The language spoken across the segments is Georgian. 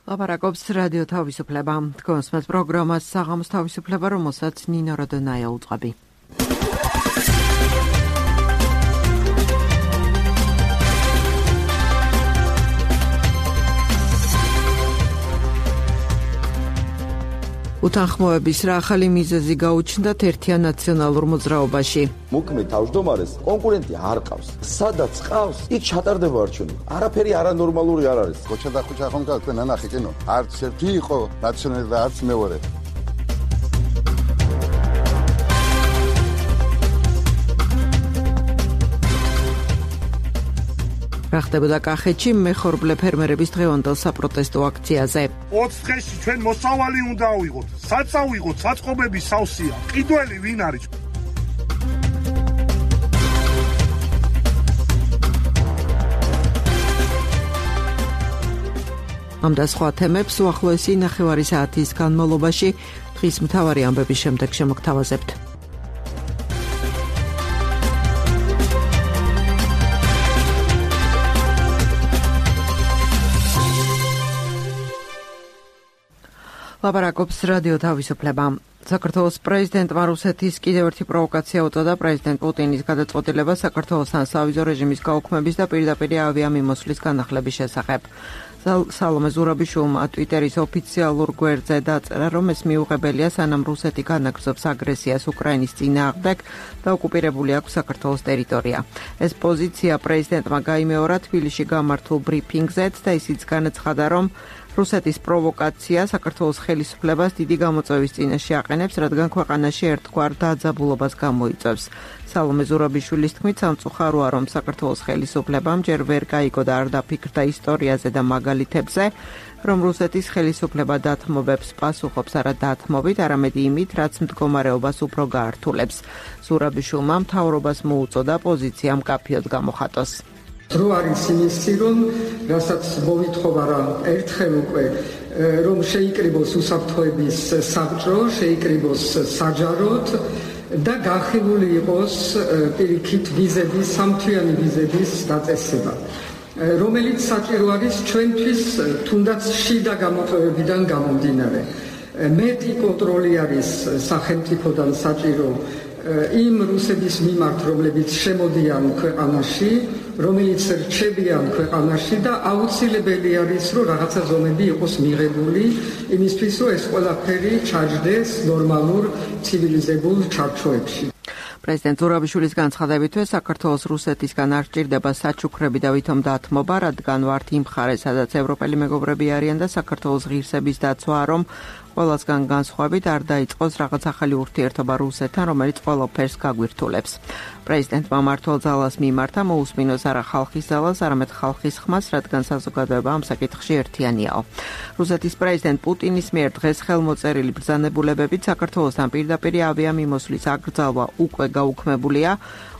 ლაპარაკობს რადიო თავისუფლება. თქვენს მას პროგრამას საღამოს თავისუფლება, რომელსაც ნინო როდონაია უწყობი. უთანხმოების რა ახალი მიზეზი გაუჩნდათ ერთიან ნაციონალურ მოძრაობაში. მოქმედ თავმჯდომარეს კონკურენტი არ ყავს. სადაც ყავს, იქ ჩატარდება არჩევნი. არაფერი არანორმალური არ არის. ხოჩა და ხოჩა ხომ გაქვენ ნახე კინო. არც ერთი იყო ნაციონალი და არც მეორე. რა ხდებოდა კახეთში მეხორბლე ფერმერების დღევანდელ საპროტესტო აქციაზე. 20 დღეში ჩვენ მოსავალი უნდა ავიღოთ. საწავიღოთ, საწყობების სავსეა. ყიდველი ვინ არის? ამ და სხვა თემებს უახლოესი ნახევარი საათის განმავლობაში დღის მთავარი ამბების შემდეგ შემოგთავაზებთ. ლაპარაკობს რადიო თავისუფლება. საქართველოს პრეზიდენტმა რუსეთის კიდევ ერთი პროვოკაცია უწოდა პრეზიდენტ პუტინის გადაწყვეტილება საქართველოსთან სავიზო რეჟიმის გაუქმების და პირდაპირ ავიამიმოსვლის განახლების შესახებ. სალომე ზურაბიშვილმა ტვიტერის ოფიციალურ გვერდზე დაწერა, რომ ეს მიუღებელია, სანამ რუსეთი განაგრძობს აგრესიას უკრაინის წინააღმდეგ და ოკუპირებული აქვს საქართველოს ტერიტორია. ეს პოზიცია პრეზიდენტმა გაიმეორა თბილისში გამართულ ბრიფინგზეც და ისიც განაცხადა, რომ რუსეთის პროვოკაცია საქართველოს ხელისუფლებას დიდი გამოწვევის წინაშე აყენებს, რადგან ქვეყანაში ერთგვარ დაძაბულობას გამოიწვევს. სალომე ზურაბიშვილის თქმით, სამწუხაროა, რომ საქართველოს ხელისუფლებამ ჯერ ვერ გაიგო და არ დაფიქრდა ისტორიაზე და მაგალითებზე, რომ რუსეთის ხელისუფლება დათმობებს პასუხობს არა დათმობით, არამედ იმით, რაც მდგომარეობას უფრო გაართულებს. ზურაბიშვილმა მთავრობას მოუწოდა პოზიცია მკაფიოდ გამოხატოს. დრო არის იმისი, რომ რასაც მოვითხოვა რა ერთხელ უკვე რომ შეიკრიბოს უსაფრთხოების საბჭო, შეიკრიბოს საჯაროდ და გახილული იყოს პირიქით ვიზების, სამთვიანი ვიზების დაწესება, რომელიც საჭირო არის ჩვენთვის თუნდაც შიდა გამოწვევებიდან გამომდინარე. მეტი კონტროლი არის სახელმწიფოდან საჭირო იმ რუსების მიმართ, რომლებიც შემოდიან ქვეყანაში, რომელიც რჩებიან ქვეყანაში და აუცილებელი არის, რომ რაღაცა ზომები იყოს მიღებული იმისთვის, რომ ეს ყველაფერი ჩაჯდეს ნორმალურ ცივილიზებულ ჩარჩოებში. პრეზიდენტ ზურაბიშვილის განცხადებითვე საქართველოს რუსეთისგან არ სჭირდება საჩუქრები და ვითომ დათმობა, რადგან ვართ იმ მხარე, სადაც ევროპელი მეგობრები არიან და საქართველოს ღირსების დაცვა, რომ ყველასგან განსხვავებით არ დაიწყოს რაღაც ახალი ურთიერთობა რუსეთთან, რომელიც ყველაფერს გაგვირთულებს. პრეზიდენტმა მმართველ ძალას მიმართა მოусმინოს არა ხალხის ძალას, არამედ ხალხის ხმას, რადგან საზოგადოება ამ საკითხში ერთიანიაო. რუსეთის პრეზიდენტ პუტინის მიერ დღეს ხელმოწერილი ბრძანებულებებით საქართველოსთან პირდაპირ ავიამიმოსვლის აკრძალვა უკვე გაუქმებულია.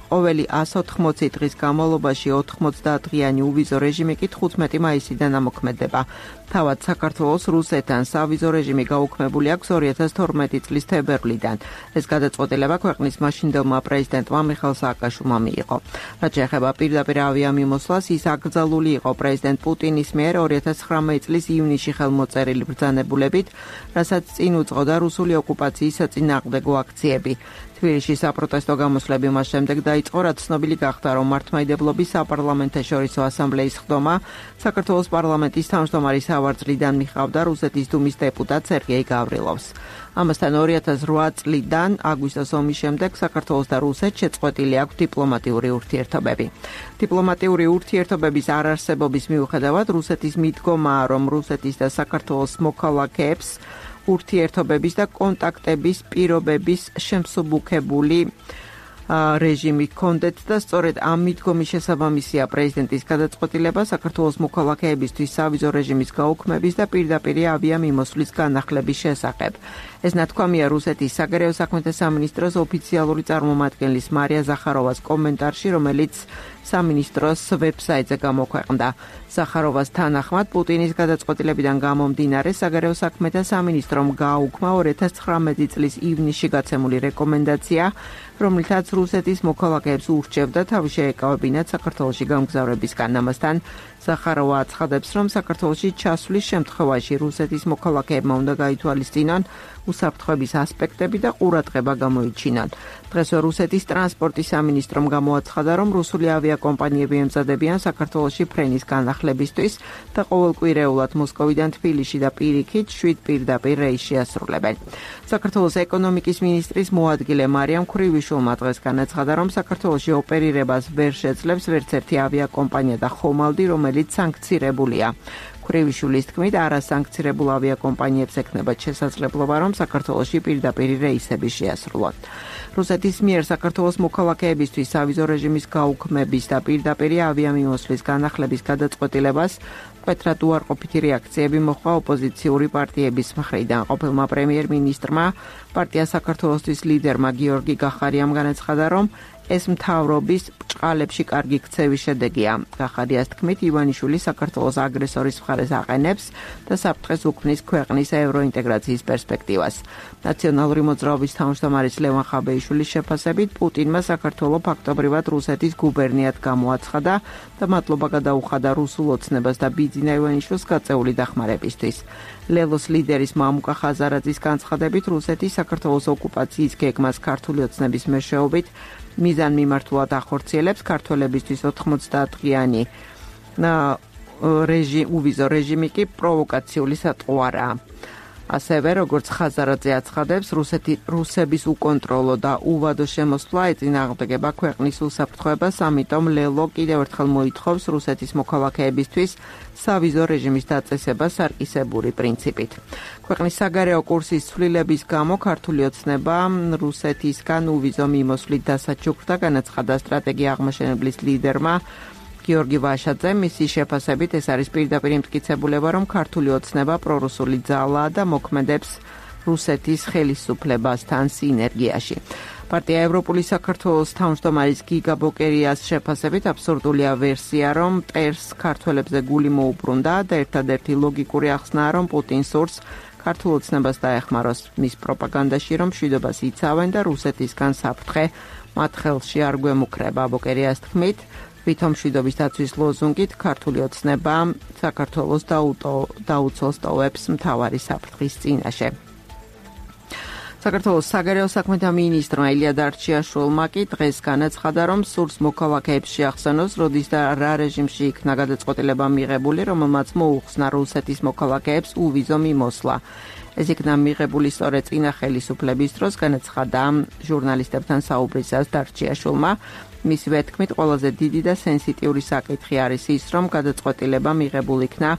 ყოველი 180 დღის განმავლობაში 90 დღიანი uvizო რეჟიმი კი 15 მაისიდან ამოქმედება. თავად საქართველოს რუსეთთან სავიზო რეჟიმი გაუქმებული აქვს 2012 წლის თებერვლიდან. ეს გადაწყვეტილება ქვეყნის მაშინდელმა პრეზიდენტმა მიხეილ სააკაშვილმა მიიღო. რაც შეეხება პირდაპირ ავიამიმოსვლას, ის აკრძალული იყო პრეზიდენტ პუტინის მიერ 2019 წლის ივნისში ხელმოწერილი ბრძანებულებით, რასაც წინ უძღოდა რუსული ოკუპაციის საწინააღმდეგო აქციები. თბილისში საპროტესტო გამოსვლები მას შემდეგ დაიწყო, რაც ცნობილი გახდა, რომ მართლმადიდებლობის საპარლამენტაშორისო ასამბლეის ხდომა საქართველოს პარლამენტის თავმჯდომარის ავარძლიდან მიხავდა რუსეთის დუმის დეპუტატ სერგეი გავრილოვს. ამასთან 2008 წლიდან აგვისტოს ომის შემდეგ საქართველოს და რუსეთს შეწყვეტილი აქვს დიპლომატიური ურთიერთობები. დიპლომატიური ურთიერთობების არარსებობის მიუხედავად რუსეთის მიდგომაა, რომ რუსეთის და საქართველოს მოქალაქეებს ურთიერთობების და კონტაქტების პირობების შემსუბუქებული რეჟიმი ჰქონდეთ და სწორედ ამ მიდგომის შესაბამისია პრეზიდენტის გადაწყვეტილება საქართველოს მოქალაქეებისთვის სავიზო რეჟიმის გაუქმების და პირდაპირ ავიამიმოსვლის განახლების შესახებ. ეს ნათქვამია რუსეთის საგარეო საქმეთა სამინისტროს ოფიციალური წარმომადგენლის მარია ზახაროვას კომენტარში, რომელიც სამინისტროს ვებსაიტზე გამოქვეყნდა. ზახაროვას თანახმად, პუტინის გადაწყვეტილებიდან გამომდინარე, საგარეო საქმეთა სამინისტრომ გააუქმა 2019 წლის ივნისში გაცემული რეკომენდაცია, რომლითაც რუსეთის მოქალაქეებს ურჩევდა თავი შეეკავებინათ საქართველოში გამგზავრებისგან. ამასთან ზახაროვა აცხადებს, რომ საქართველოში ჩასვლის შემთხვევაში რუსეთის მოქალაქეებმა უნდა გაითვალისწინონ უსაფრთხოების ასპექტები და ყურადღება გამოიჩინონ. დღესვე რუსეთის ტრანსპორტის სამინისტრომ გამოაცხადა, რომ რუსული ავიაკომპანიები ემზადებიან საქართველოში ფრენის განახლებისთვის და ყოველკვირეულად მოსკოვიდან თბილისში და პირიქით 7 პირდაპირ რეისს შეასრულებენ. საქართველოს ეკონომიკის მინისტრის მოადგილე მარიამ ქრივიშვილმა დღეს განაცხადა, რომ საქართველოში ოპერირებას ვერ შეძლებს ვერც ერთი ავიაკომპანია და ხომალდი, რომელიც სანქცირებულია. ქრივიშვილის თქმით, არასანქცირებულ ავიაკომპანიებს ექნებათ შესაძლებლობა, რომ საქართველოში პირდაპირ რეისები შეასრულონ. რუსეთის მიერ საქართველოს მოქალაქეებისთვის სავიზო რეჟიმის გაუქმების და პირდაპირ ავიამიმოსვლის განახლების გადაწყვეტილებას მკვეთრად უარყოფითი რეაქციები მოჰყვა ოპოზიციური პარტიების მხრიდან. ყოფილმა პრემიერ-მინისტრმა პარტია საქართველოსთვის ლიდერმა გიორგი გახარიამ განაცხადა, რომ ეს მთავრობის ბრჭყალებში კარგი ქცევის შედეგია. გახარიას თქმით, ივანიშვილი საქართველოს აგრესორის მხარეს აყენებს და საფრთხეს უქმნის ქვეყნის ევროინტეგრაციის პერსპექტივას. ნაციონალური მოძრაობის თავმჯდომარის ლევან ხაბეიშვილის შეფასებით, პუტინმა საქართველო ფაქტობრივად რუსეთის გუბერნიად გამოაცხადა და მადლობა გადაუხადა რუსულ ოცნებას და ბიძინა ივანიშვილს გაწეული დახმარებისთვის. ლელოს ლიდერის მამუკა ხაზარაძის განცხადებით, რუსეთი საქართველოს ოკუპაციის გეგმას ქართული ოცნების მეშვეობით მიზანმიმართულად ახორციელებს. ქართველებისთვის 90-დღიანი უვიზო რეჟიმი კი პროვოკაციული სატყუარაა. ასევე, როგორც ხაზარაძე აცხადებს, რუსების უკონტროლო და უვადო შემოსვლა ეწინააღმდეგება ქვეყნის უსაფრთხოებას, ამიტომ ლელო კიდევ ერთხელ მოითხოვს რუსეთის მოქალაქეებისთვის სავიზო რეჟიმის დაწესება სარკისებური პრინციპით. ქვეყნის საგარეო კურსის ცვლილების გამო ქართული ოცნება რუსეთისგან უვიზო მიმოსვლით დასაჩუქრდა, განაცხადა სტრატეგია აღმაშენებლის ლიდერმა გიორგი ვაშაძე. მისი შეფასებით, ეს არის პირდაპირ იმტკიცებულება, რომ ქართული ოცნება პრორუსული ძალაა და მოქმედებს რუსეთის ხელისუფლებასთან სინერგიაში. პარტია ევროპული საქართველოს თავმჯდომარის გიგა ბოკერიას შეფასებით, აბსურდულია ვერსია, რომ მტერს ქართველებზე გული მოუბრუნდა და ერთადერთი ლოგიკური ახსნაა, რომ პუტინს სურს ქართულ ოცნებას დაეხმაროს მის პროპაგანდაში, რომ მშვიდობას იცავენ და რუსეთისგან საფრთხე მათ ხელში არ გვემუქრება. ბოკერიას თქმით, ვითომ მშვიდობის დაცვის ლოზუნგით ქართული ოცნება საქართველოს დაუწოს ტოვებს მთავარი საფრთხის წინაშე. საქართველოს საგარეო საქმეთა მინისტრმა ილია დარჩიაშვილმა კი დღეს განაცხადა, რომ სურს მოქალაქეებს შეახსენოს, როდის და რა რეჟიმში იქნა გადაწყვეტილება მიღებული, რომელმაც მოუხსნა რუსეთის მოქალაქეებს უვიზო მიმოსვლა. ეს იქნა მიღებული სწორედ წინა ხელისუფლების დროს, განაცხადა ჟურნალისტებთან საუბრისას დარჩიაშვილმა. მისივე თქმით, ყველაზე დიდი და სენსიტიური საკითხი არის ის, რომ გადაწყვეტილება მიღებული იქნა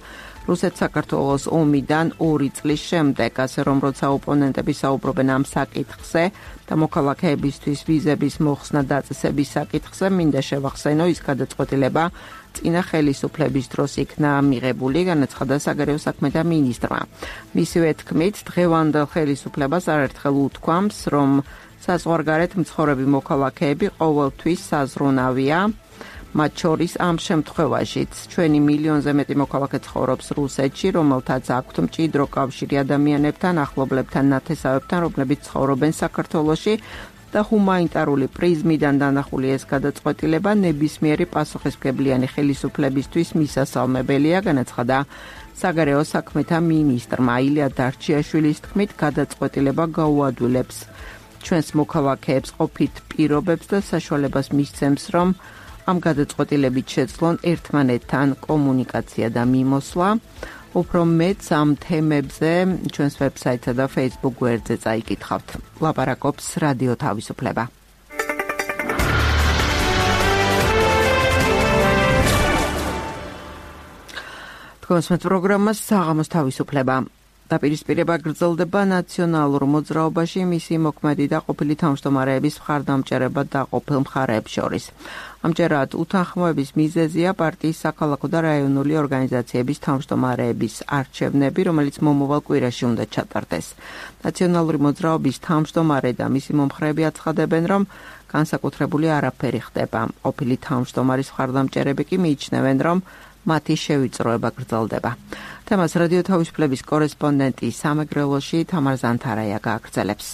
რუსეთ-საქართველოს ომიდან 2 წლის შემდეგ, ასე რომ როცა ოპონენტები საუბრობენ ამ საკითხზე და მოქალაქეებისთვის ვიზების მოხსნა დაწესების საკითხზე, მინდა შევახსენო, ის გადაწყვეტილება წინა ხელისუფლების დროს იქნა მიღებული, განაცხადა საგარეო საქმეთა მინისტრმა. მისივე თქმით, დღევანდელ ხელისუფლებას არაერთხელ უთქვამს, რომ საზღვარგარეთ მცხოვრები მოქალაქეები ყოველთვის საზრუნავია, მათ შორის ამ შემთხვევაშიც. ჩვენი მილიონზე მეტი მოქალაქე ცხოვრობს რუსეთში, რომელთაც აქვთ მჭიდრო კავშირი ადამიანებთან, ახლობლებთან, ნათესავებთან, რომლებიც ცხოვრობენ საქართველოში და ჰუმანიტარული პრიზმიდან დანახული ეს გადაწყვეტილება ნებისმიერი პასუხისმგებლიანი ხელისუფლებისთვის მისასალმებელია, განაცხადა საგარეო საქმეთა მინისტრმა. ილია დარჩიაშვილის თქმით, გადაწყვეტილება გაუადვილებს ჩვენს მოქალაქეებს ყოფით პირობებს და საშუალებას მისცემს, რომ ამ გადაწყვეტილებით შეძლონ ერთმანეთთან კომუნიკაცია და მიმოსვლა. უფრო მეტ ამ თემებზე ჩვენს ვებსაიტსა და Facebook გვერდზე წაიკითხავთ. ლაპარაკობს რადიო თავისუფლება. თქვენს პროგრამას საღამოს თავისუფლება. დაპირისპირება გრძელდება ნაციონალურ მოძრაობაში მისი მოქმედი და ყოფილი თავმჯდომარეების მხარდამჭერება დაყოფილ მხარეებს შორის. ამჯერად უთანხმოების მიზეზია პარტიის საქალაქო და რაიონული ორგანიზაციების თავმჯდომარეების არჩევნები, რომელიც მომავალ კვირაში უნდა ჩატარდეს. ნაციონალური მოძრაობის თავმჯდომარე და მისი მომხრეები აცხადებენ, რომ განსაკუთრებული არაფერი ხდება. ყოფილი თავმჯდომარის მხარდამჭერები კი მიიჩნევენ, რომ მათი შევიწროება გრძელდება. თემას რადიო თავისუფლების კორესპონდენტი სამეგრელოში თამარ ზანთარაია გააგრძელებს.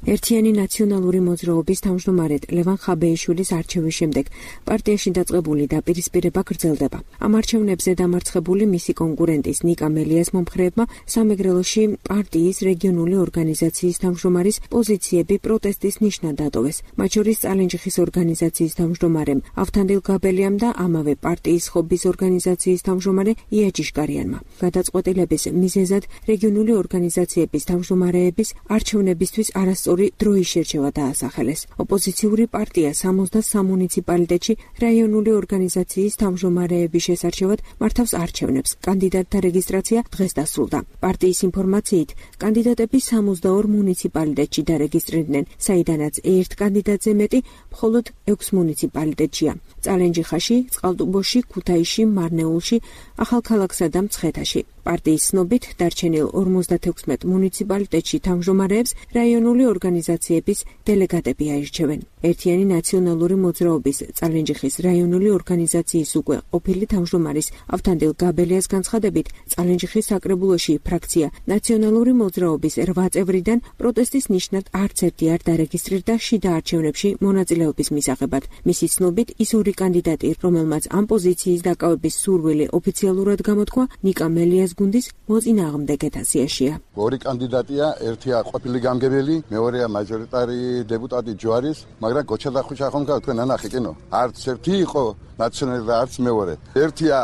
ერთიანი ნაციონალური მოძრაობის თავმჯდომარედ ლევან ხაბეიშვილის არჩევის შემდეგ პარტიაში დაწყებული დაპირისპირება გრძელდება. ამ არჩევნებზე დამარცხებული მისი კონკურენტის ნიკა მელიას მომხრეებმა სამეგრელოში პარტიის რეგიონული ორგანიზაციის თავმჯდომარის პოზიციები პროტესტის ნიშნად დატოვეს. მათ შორის წალენჯიხის ორგანიზაციის თავმჯდომარემ ავთანდილ გაბელიამ და ამავე პარტიის ხობის ორგანიზაციის თავმჯდომარე ია ჯიშკარიანმა. გადაწყვეტილების მიზეზად რეგიონული ორგანიზაციების თავმჯდომარეების არჩევნებისთვის არასწორი დროის შერჩევა დაასახელეს. ოპოზიციური პარტია 63 მუნიციპალიტეტში რაიონული ორგანიზაციის თავმჯდომარეების შესარჩევად მართავს არჩევნებს. კანდიდატთა რეგისტრაცია დღეს დასრულდა. პარტიის ინფორმაციით, კანდიდატები 62 მუნიციპალიტეტში დარეგისტრირდნენ, საიდანაც ერთ კანდიდატზე მეტი მხოლოდ 6 მუნიციპალიტეტშია. წალენჯიხაში, წყალტუბოში, ქუთაისში, მარნეულში, ახალქალაქსა და მცხეთაში. პარტიის ცნობით დარჩენილ 56 მუნიციპალიტეტში თავმჯდომარეებს რაიონული ორგანიზაციების დელეგატები აირჩევენ. ერთიანი ნაციონალური მოძრაობის წალენჯიხის რაიონული ორგანიზაციის უკვე ყოფილი თავმჯდომარის ავთანდილ გაბელიას განცხადებით, წალენჯიხის საკრებულოში ფრაქცია ნაციონალური მოძრაობის 8 წევრიდან პროტესტის ნიშნად არც ერთი არ დარეგისტრირდა შიდა არჩევნებში მონაწილეობის მისაღებად. მისი ცნობით, ის ორი კანდიდატი, რომელმაც ამ პოზიციის დაკავების სურვილი ოფიციალურად გამოთქვა, ნიკა მელიას გუნდის მოწინააღმდეგეთა სიაშია. ორი კანდიდატია, ერთია ყოფილი გამგებელი, მეორეა მაჟორიტარი დეპუტატი ჯვარის, მაგრამ გოჩა და ხუჩა ხომ თქვენ ანახე კინო. არც ერთი იყო ნაციონალი და არც მეორე. ერთია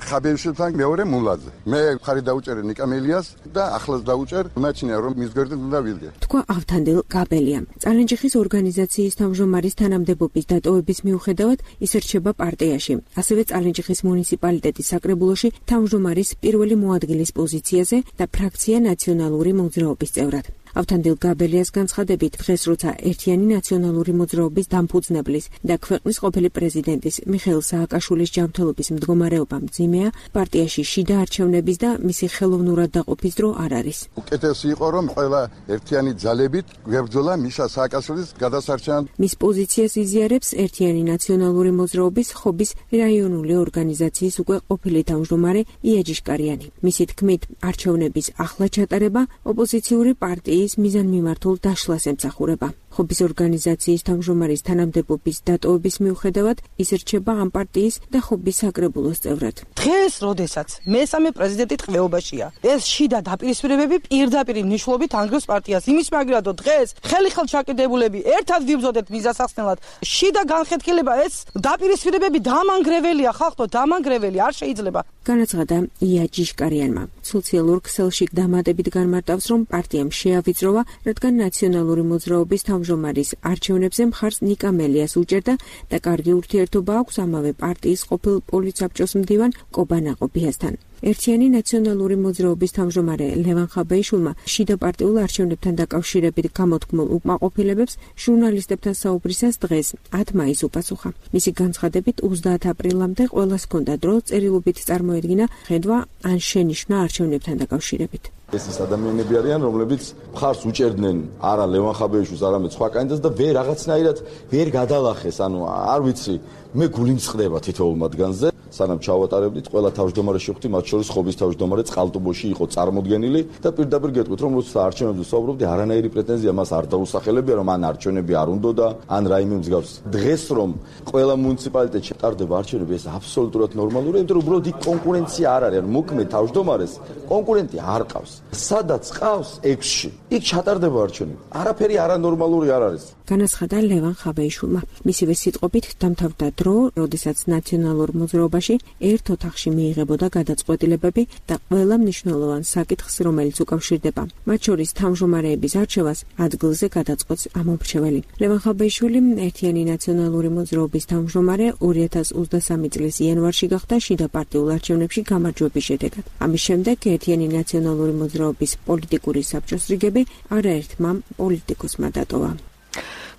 ხაბეიშვილთან, მეორე მულაძე. მე ხარი დაუჭერე ნიკა მელიას და ახლაც დაუჭერ, მეჩნია რომ მის გვერდით უნდა ვიდგე. თქვა ავთანდილ გაბელიამ. წალენჯიხის ორგანიზაციის თავმჯდომარის თანამდებობის დატოვების მიუხედავად ის რჩება პარტიაში. ასევე წალენჯიხის მუნიციპალიტეტის საკრებულოში თავმჯდომარის პირველი მოადგილის პოზიციაზე და ფრაქცია ნაციონალური მოძრაობის წევრად. ავთანდილ გაბელიას განცხადებით, დღეს როცა ერთიანი ნაციონალური მოძრაობის დამფუძნებლის და ქვეყნის ყოფილი პრეზიდენტის მიხეილ სააკაშვილის ჯანმრთელობის მდგომარეობა მძიმეა, პარტიაში შიდა არჩევნების და მისი ხელოვნურად დაყოფის დრო არ არის. უკეთესი იყო რომ ყველა ერთიანი ძალებით გვებრძოლა მიშა სააკაშვილის გადასარჩენად. მის პოზიციას იზიარებს ერთიანი ნაციონალური მოძრაობის ხობის რაიონული ორგანიზაციის უკვე ყოფილი თავმჯდომარე ია ჯიშკარიანი. მისი თქმით, არჩევნების ახლა ჩატარება ოპოზიციური პარტიის მიზანმიმართულ დაშლას ემსახურება. ხობის ორგანიზაციის თავმჯდომარის თანამდებობის დატოვების მიუხედავად ის რჩება ამ პარტიის და ხობის საკრებულოს წევრად. დღეს, როდესაც მესამე პრეზიდენტი ტყვეობაშია, ეს შიდა დაპირისპირებები პირდაპირ მნიშვნელობით ანგრევს პარტიას. იმის მაგრად, რომ დღეს ხელიხელ ჩაკიდებულები ერთად ვიბრძოდეთ მიზასახსნელად. შიდა განხეთქილება ეს დაპირისპირებები დამანგრეველია, ხალხო, დამანგრეველი არ შეიძლება. განაცხადა ია ჯიშკარიანმა. სოციალურ ქსელში დამატებით განმარტავს, რომ პარტიამ შეავიწროვა, რადგან ნაციონალური მოძრაობის თავმჯდომარის არჩევნებზე მხარს ნიკა მელიას უჭერდა და კარგი ურთიერთობა აქვს ამავე პარტიის ყოფილ პოლიცსაბჭოს მდივან კობა ნაყოფიასთან. ერთიანი ნაციონალური მოძრაობის თავმჯდომარე ლევან ხაბეიშვილმა შიდა პარტიულ არჩევნებთან დაკავშირებით გამოთქმულ უკმაყოფილებებს ჟურნალისტებთან საუბრისას დღეს 10 მაისს უპასუხა. მისი განცხადებით 30 აპრილამდე ყველას ჰქონდა დრო წერილობით წარმოედგინა ხედვა ან შენიშვნა არჩევნებთან დაკავშირებით. ეს ის ადამიანები არიან, რომლებიც მხარს უჭერდნენ არა ლევან ხაბეიშვილს, არამედ სხვა კანდიდატს და ვერ რაღაცნაირად ვერ გადალახეს, ანუ არ ვიცი, მე გული მწყდება თითოეულ მათგანზე. სანამ ჩავატარებდით, ყველა თავმჯდომარე შეხვდი, მათ შორის ხობის თავმჯდომარე წყალტუბოში იყო წარმოდგენილი და პირდაპირ გეტყვით, რომ როცა არჩევნებზე საუბრობდი, არანაირი პრეტენზია მას არ დაუსახელებია, რომ ან არჩევნები არ უნდოდა, ან რაიმე მსგავს. დღეს რომ ყველა მუნიციპალიტეტში ტარდება არჩევნები, ეს აბსოლუტურად ნორმალურია, იმიტომ რომ უბრალოდ იქ კონკურენცია არ არის, ანუ მოქმედ თავმჯდომარეს კონკურენტი არ ყავს. სადაც ყავს 6-ში, იქ ჩატარდება არჩევნები. არაფერი არანორმალური არ არის. განაცხადა ლევან ხაბეიშვილმა. მისივე სიტყვებით დამთავრდა დრო, როდესაც ნაციონალურ მოძრაობაში ერთ ოთახში მიიღებოდა გადაწყვეტილებები და ყველა მნიშვნელოვან საკითხს, რომელიც უკავშირდება. მათ შორის თავმჯდომარეების არჩევას ადგილზე გადაწყვეტს ამომრჩეველი. ლევან ხაბეიშვილი ერთიანი ნაციონალური მოძრაობის თავმჯდომარე 2023 წლის იანვარში გახდა შიდა პარტიულ არჩევნებში გამარჯვების შედეგად. ამის შემდეგ ერთიანი ნაციონალური მოძრაობის პოლიტიკური საბჭოს რიგები არაერთმა პოლიტიკოსმა დატოვა.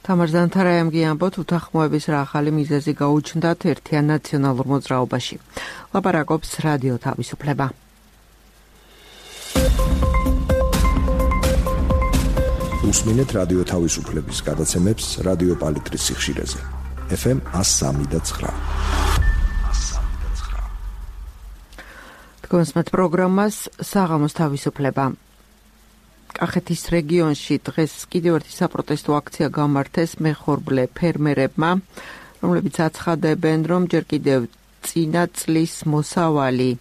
თამარ ზანთარაიამ გიამბოთ, უთანხმოების რა ახალი მიზეზი გაუჩნდათ ერთიან ნაციონალურ მოძრაობაში. ლაპარაკობს რადიო თავისუფლება. უსმინეთ რადიო თავისუფლების გადაცემებს რადიო პალიტრის სიხშირეზე. FM 103.9. თქვენს პროგრამას საღამოს თავისუფლება. კახეთის რეგიონში დღეს კიდევ ერთი საპროტესტო აქცია გამართეს მეხორბლე ფერმერებმა, რომლებიც აცხადებენ, რომ ჯერ კიდევ წინა წლის მოსავალი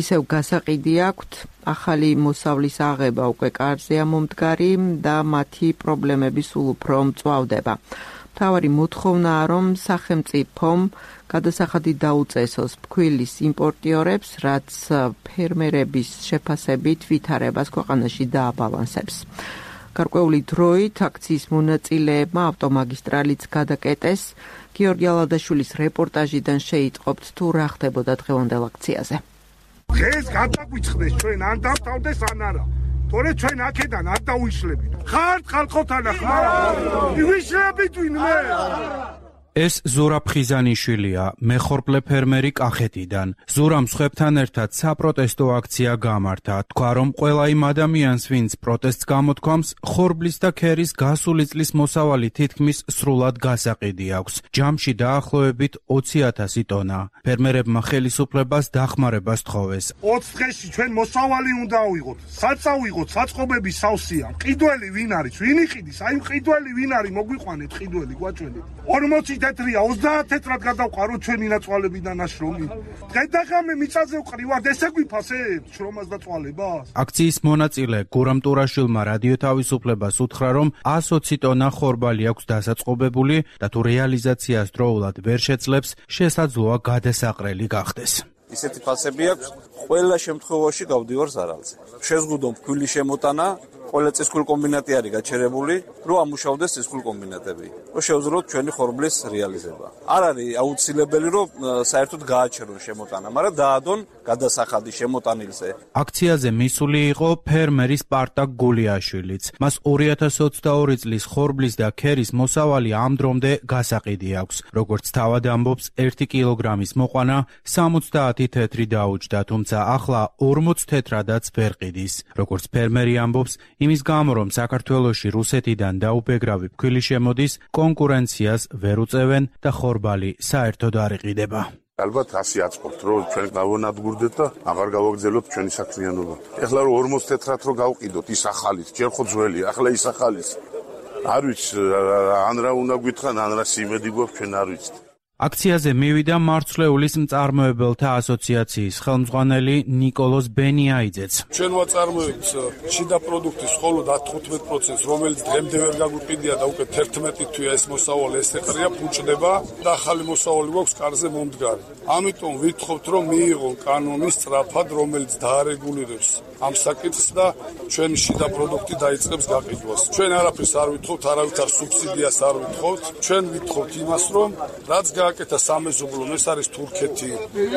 ისევ გასაყიდი აქვთ, ახალი მოსავლის აღება უკვე კარზეა მომდგარი და მათი პრობლემები სულ უფრო მწვავდება. მთავარი მოთხოვნაა, რომ სახელმწიფომ გადასახადი დაუწესოს ფქვილის იმპორტიორებს, რაც ფერმერების შეფასებით ვითარებას ქვეყანაში დააბალანსებს. გარკვეული დროით აქციის მონაწილეებმა ავტომაგისტრალიც გადაკეტეს. გიორგი ალადაშვილის რეპორტაჟიდან შეიტყობთ თუ რა ხდებოდა დღევანდელ აქციაზე. დღეს გადაგვიწყდეს ჩვენ ან დავთავდეს ან არა. თორე ჩვენ აქედან არ დავიშლებით. ხართ ხალხოთანა ხარ? ვიშლებით ვინმე? ეს ზურაბ ხიზანიშვილია, მეხორბლე ფერმერი კახეთიდან. ზურამ სხვებთან ერთად საპროტესტო აქცია გამართა. თქვა, რომ ყველა იმ ადამიანს, ვინც პროტესტს გამოთქვამს, ხორბლის და ქერის გასული წლის მოსავალი თითქმის სრულად გასაყიდი აქვს. ჯამში დაახლოებით 20,000 ტონა. ფერმერებმა ხელისუფლებას დახმარებას თხოვეს. 20 დღეში ჩვენ მოსავალი უნდა ავიღოთ. საწავიღოთ, საწყობები სავსეა. მყიდველი ვინ არის? ვინ იყიდის? აი მყიდველი ვინ არის? მოგვიყვანეთ მყიდველი, გვაჩვენეთ. 40 თეთრია 30 თეთრად გადავყარო ჩვენი ნაწვალებიდან ნაშრომი. დღედაღამე მიწაზე ვყრივართ, ესე გვიფასებთ შრომას და წვალებას. აქციის მონაწილე გურამ ტურაშვილმა რადიო თავისუფლებას უთხრა, რომ 120 ტონა ხორბალი აქვს დასაწყობებული და თუ რეალიზაციას დროულად ვერ შეძლებს, შესაძლოა გადასაყრელი გახდეს. ისეთი ფასები აქვს, ყველა შემთხვევაში გავდივარ ზარალზე. შეზღუდონ ფქვილის შემოტანა, ყველა წისქვილ კომბინატი არის გაჩერებული, რომ ამუშავდეს წისქვილ კომბინატები. შევძლებთ ჩვენი ხორბლის რეალიზება. არ არის აუცილებელი, რომ საერთოდ გააჩერონ შემოტანა, მაგრამ დაადონ გადასახადი შემოტანილზე. აქციაზე მისული იყო ფერმერი სპარტაკ გულიაშვილიც. მას 2022 წლის ხორბლის და ქერის მოსავალი ამ დრომდე გასაყიდი აქვს. როგორც თავად ამბობს, 1 კილოგრამის მოყვანა 70 თეთრი დაუჯდა, თუმცა ახლა 40 თეთრადაც ვერ ყიდის. როგორც ფერმერი ამბობს, იმის გამო, რომ საქართველოში რუსეთიდან დაუბეგრავი ფქვილი შემოდის, კონკურენციას ვერ უწევენ და ხორბალი საერთოდ არ იყიდება. ალბათ ასე აწყობთ, რომ ჩვენ გავანადგურდეთ და აღარ გავაგრძელოთ ჩვენი საქმიანობა. ეხლა რომ 40 თეთრად რო გავყიდოთ ის ახალით, ჯერ ხო ძველი, ახლა ის ახალის. არ ვიცი, ან რა უნდა გითხრან, ან რა სიმედი გვაქვს, ჩვენ არ ვიცით. აქციაზე მივიდა მარცვლეულის მწარმოებელთა ასოციაციის ხელმძღვანელი ნიკოლოზ ბენიაიძეც. ჩვენ ვაწარმოებთ შიდა პროდუქტის მხოლოდ 15%, რომელიც დღემდე ვერ გაგვიყიდია და უკვე 11 თვეა ეს მოსავალი ეს ეყრია, ფუჭდება და ახალი მოსავალი გვაქვს კარზე მომდგარი. ამიტომ ვითხოვთ, რომ მიიღონ კანონი სწრაფად, რომელიც დაარეგულირებს ამ საკითხს და ჩვენი შიდა პროდუქტი დაიწყებს გაყიდვას. ჩვენ არაფერს არ ვითხოვთ, არავითარ სუბსიდიას არ ვითხოვთ. ჩვენ ვითხოვთ იმას, რომ რაც აკეთა სამეზობლომ, ეს არის თურქეთი,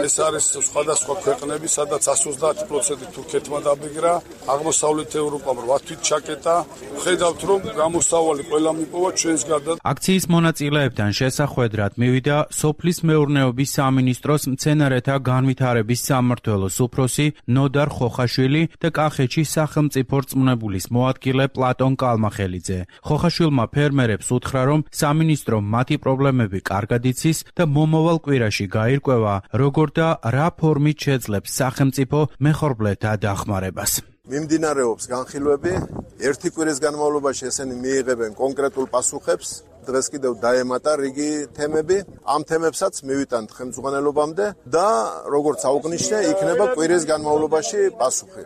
ეს არის სხვადასხვა ქვეყნები, სადაც 130% თურქეთმა დაბეგრა, აღმოსავლეთ ევროპამ 8 თვით ჩაკეტა. ხედავთ, რომ გამოსავალი ყველა მიპოვა ჩვენს გარდა. აქციის მონაწილეებთან შესახვედრად მივიდა სოფლის მეურნეობის სამინისტროს მცენარეთა განვითარების სამმართველოს უფროსი ნოდარ ხოხაშვილი და კახეთში სახელმწიფო რწმუნებულის მოადგილე პლატონ კალმახელიძე. ხოხაშვილმა ფერმერებს უთხრა, რომ სამინისტრო მათი პრობლემები კარგად იცის და მომავალ კვირაში გაირკვევა, როგორ და რა ფორმით შეძლებს სახელმწიფო მეხორბლეთა დახმარებას. მიმდინარეობს განხილვები, 1 კვირის განმავლობაში ესენი მიიღებენ კონკრეტულ პასუხებს. დღეს კიდევ დაემატა რიგი თემები, ამ თემებსაც მივიტანთ ხელმძღვანელობამდე და როგორც აუგნიშნე, იქნება კვირის განმავლობაში პასუხი.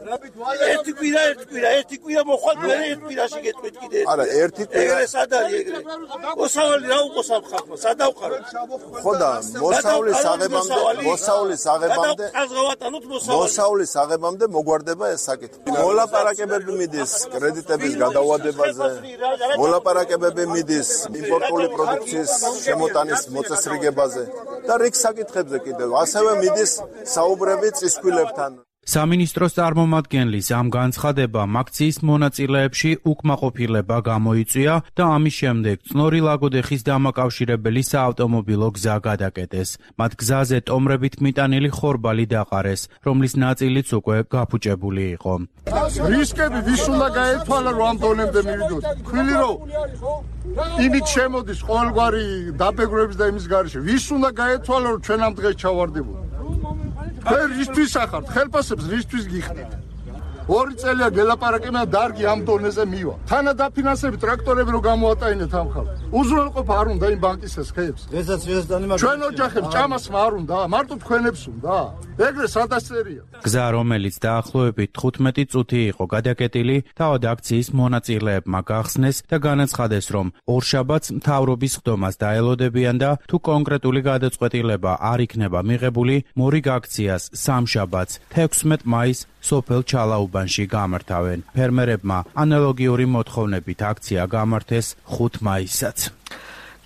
1 კვირა მოხვალ, მე 1 კვირაში გეტყვით კიდე. არა, 1 კვირა. ეგრე სად არის ეგრე? მოსავალი რა უყოს ამ ხალხმა? სად ავყაროთ? ხო და მოსავლის აღებამდე მოგვარდება ეს საკითხი. მოლაპარაკებები მიდის კრედიტების გადაუადებაზე, მოლაპარაკებები მიდის იმპორტული პროდუქციის შემოტანის მოწესრიგებაზე და რიგ საკითხებზე კიდევ ასევე მიდის საუბრები წისქვილებთან. სამინისტროს წარმომადგენლის ამ განცხადებამ აქციის მონაწილეებში უკმაყოფილება გამოიწვია და ამის შემდეგ წნორი ლაგოდეხის დამაკავშირებელი საავტომობილო გზა გადაკეტეს. მათ გზაზე ტომრებით მიტანილი ხორბალი დაყარეს, რომლის ნაწილიც უკვე გაფუჭებული იყო. რისკები ვის უნდა გაეთვალა, რომ ამ დონემდე მივიდოთ? ქვილი რომ იმით შემოდის ყოველგვარი დაბეგრების და იმის გარეშე. ვის უნდა გაეთვალა, რომ ჩვენ ამ დღეს ჩავარდებოდეთ? რისთვის ახართ? ხელფასებს რისთვის გიხდით? 2 წელია გელაპარაკებია დარგი ამ დონეზე მივა. თანადაფინანსებით ტრაქტორები რო გამოატაინეთ ამ ხალხს. უზრუნველყოფა არ უნდა იმ ბანკის ეს ხეებს. ჩვენ ოჯახებს ჭამას არ უნდა, მარტო თქვენებს უნდა. ეგრე სადასწერია. გზა, რომელიც დაახლოებით 15 წუთი იყო გადაკეტილი, თავად აქციის მონაწილეებმა გახსნეს და განაცხადეს, რომ ორშაბათს მთავრობის ხდომას დაელოდებიან და თუ კონკრეტული გადაწყვეტილება არ იქნება მიღებული, მორიგ აქციას სამშაბათს 16 მაისს სოფელ ჩალაუბანში გამართავენ. ფერმერებმა ანალოგიური მოთხოვნებით აქცია გამართეს 5 მაისსაც.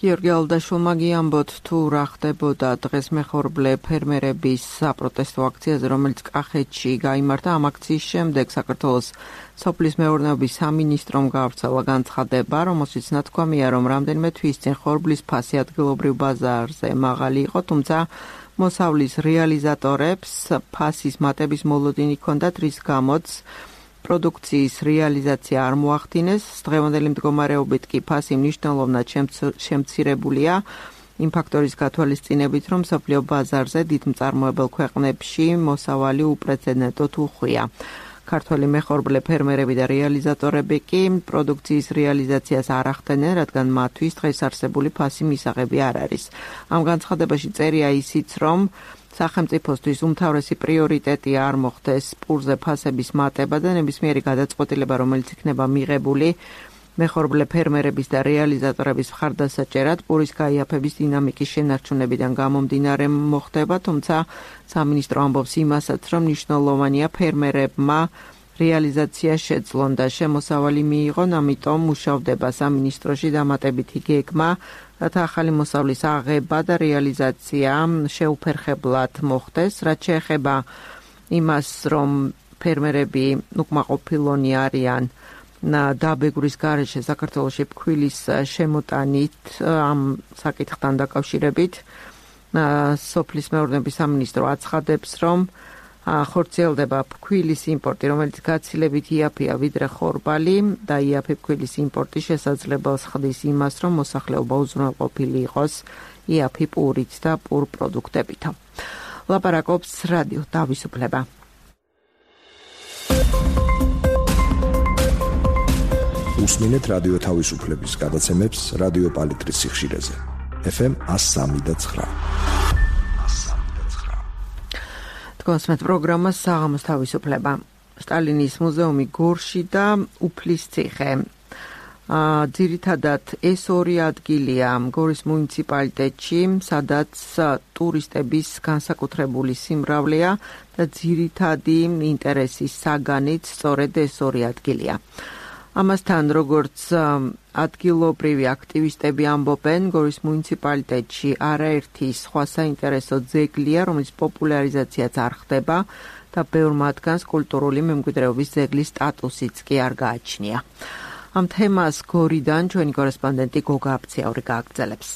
გიორგი ალდაშვილმა გიამბოთ, თუ რა ხდებოდა დღეს მეხორბლე ფერმერების საპროტესტო აქციაზე, რომელიც კახეთში გაიმართა. ამ აქციის შემდეგ საქართველოს სოფლის მეურნეობის სამინისტრომ გაავრცელა განცხადება, რომელშიც ნათქვამია, რომ რამდენიმე თვის წინ ხორბლის ფასი ადგილობრივ ბაზარზე მაღალი იყო, თუმცა მოსავლის რეალიზატორებს ფასის მატების მოლოდინი ჰქონდათ, რის გამოც პროდუქციის რეალიზაცია არ მოახდინეს. დღევანდელი მდგომარეობით კი ფასი მნიშვნელოვნად შემცირებულია იმ ფაქტორის გათვალისწინებით, რომ მსოფლიო ბაზარზე დიდ მწარმოებელ ქვეყნებში მოსავალი უპრეცედენტოდ უხვია. ქართველი მეხორბლე ფერმერები და რეალიზატორები კი პროდუქციის რეალიზაციას არ ახდენენ, რადგან მათთვის დღეს არსებული ფასი მისაღები არ არის. ამ განცხადებაში წერია ისიც, რომ სახელმწიფოსთვის უმთავრესი პრიორიტეტი არ მოხდეს პურზე ფასების მატება და ნებისმიერი გადაწყვეტილება, რომელიც იქნება მიღებული მეხორბლე ფერმერების და რეალიზატორების მხარდასაჭერად, პურის გაიაფების დინამიკის შენარჩუნებიდან გამომდინარე მოხდება, თუმცა სამინისტრო ამბობს იმასაც, რომ მნიშვნელოვანია ფერმერებმა რეალიზაცია შეძლონ და შემოსავალი მიიღონ, ამიტომ მუშავდება სამინისტროში დამატებითი გეგმა, რათა ახალი მოსავლის აღება და რეალიზაცია შეუფერხებლად მოხდეს. რაც შეეხება იმას, რომ ფერმერები უკმაყოფილონი არიან დაბეგვრის გარეშე საქართველოში ფქვილის შემოტანით, ამ საკითხთან დაკავშირებით სოფლის მეურნეობის სამინისტრო აცხადებს, რომ ხორციელდება ფქვილის იმპორტი, რომელიც გაცილებით იაფია ვიდრე ხორბალი და იაფი ფქვილის იმპორტი შესაძლებელს ხდის იმას, რომ მოსახლეობა უზრუნველყოფილი იყოს იაფი პურით და პურ პროდუქტებით. ლაპარაკობს რადიო თავისუფლება. უსმინეთ რადიო თავისუფლების გადაცემებს რადიო პალიტრის სიხშირეზე. FM 103.9. თქვენს პროგრამას საღამოს თავისუფლება. სტალინის მუზეუმი გორში და უფლის ციხე. ძირითადად ეს ორი ადგილია გორის მუნიციპალიტეტში, სადაც ტურისტების განსაკუთრებული სიმრავლეა და ძირითადი ინტერესის საგანიც სწორედ ეს ორი ადგილია. ამასთან, როგორც ადგილობრივი აქტივისტები ამბობენ, გორის მუნიციპალიტეტში არაერთი სხვა საინტერესო ძეგლია, რომლის პოპულარიზაციაც არ ხდება და ბევრ მათგანს კულტურული მემკვიდრეობის ძეგლის სტატუსიც კი არ გააჩნია. ამ თემას გორიდან ჩვენი კორესპონდენტი გოგა აფციაური გააგრძელებს.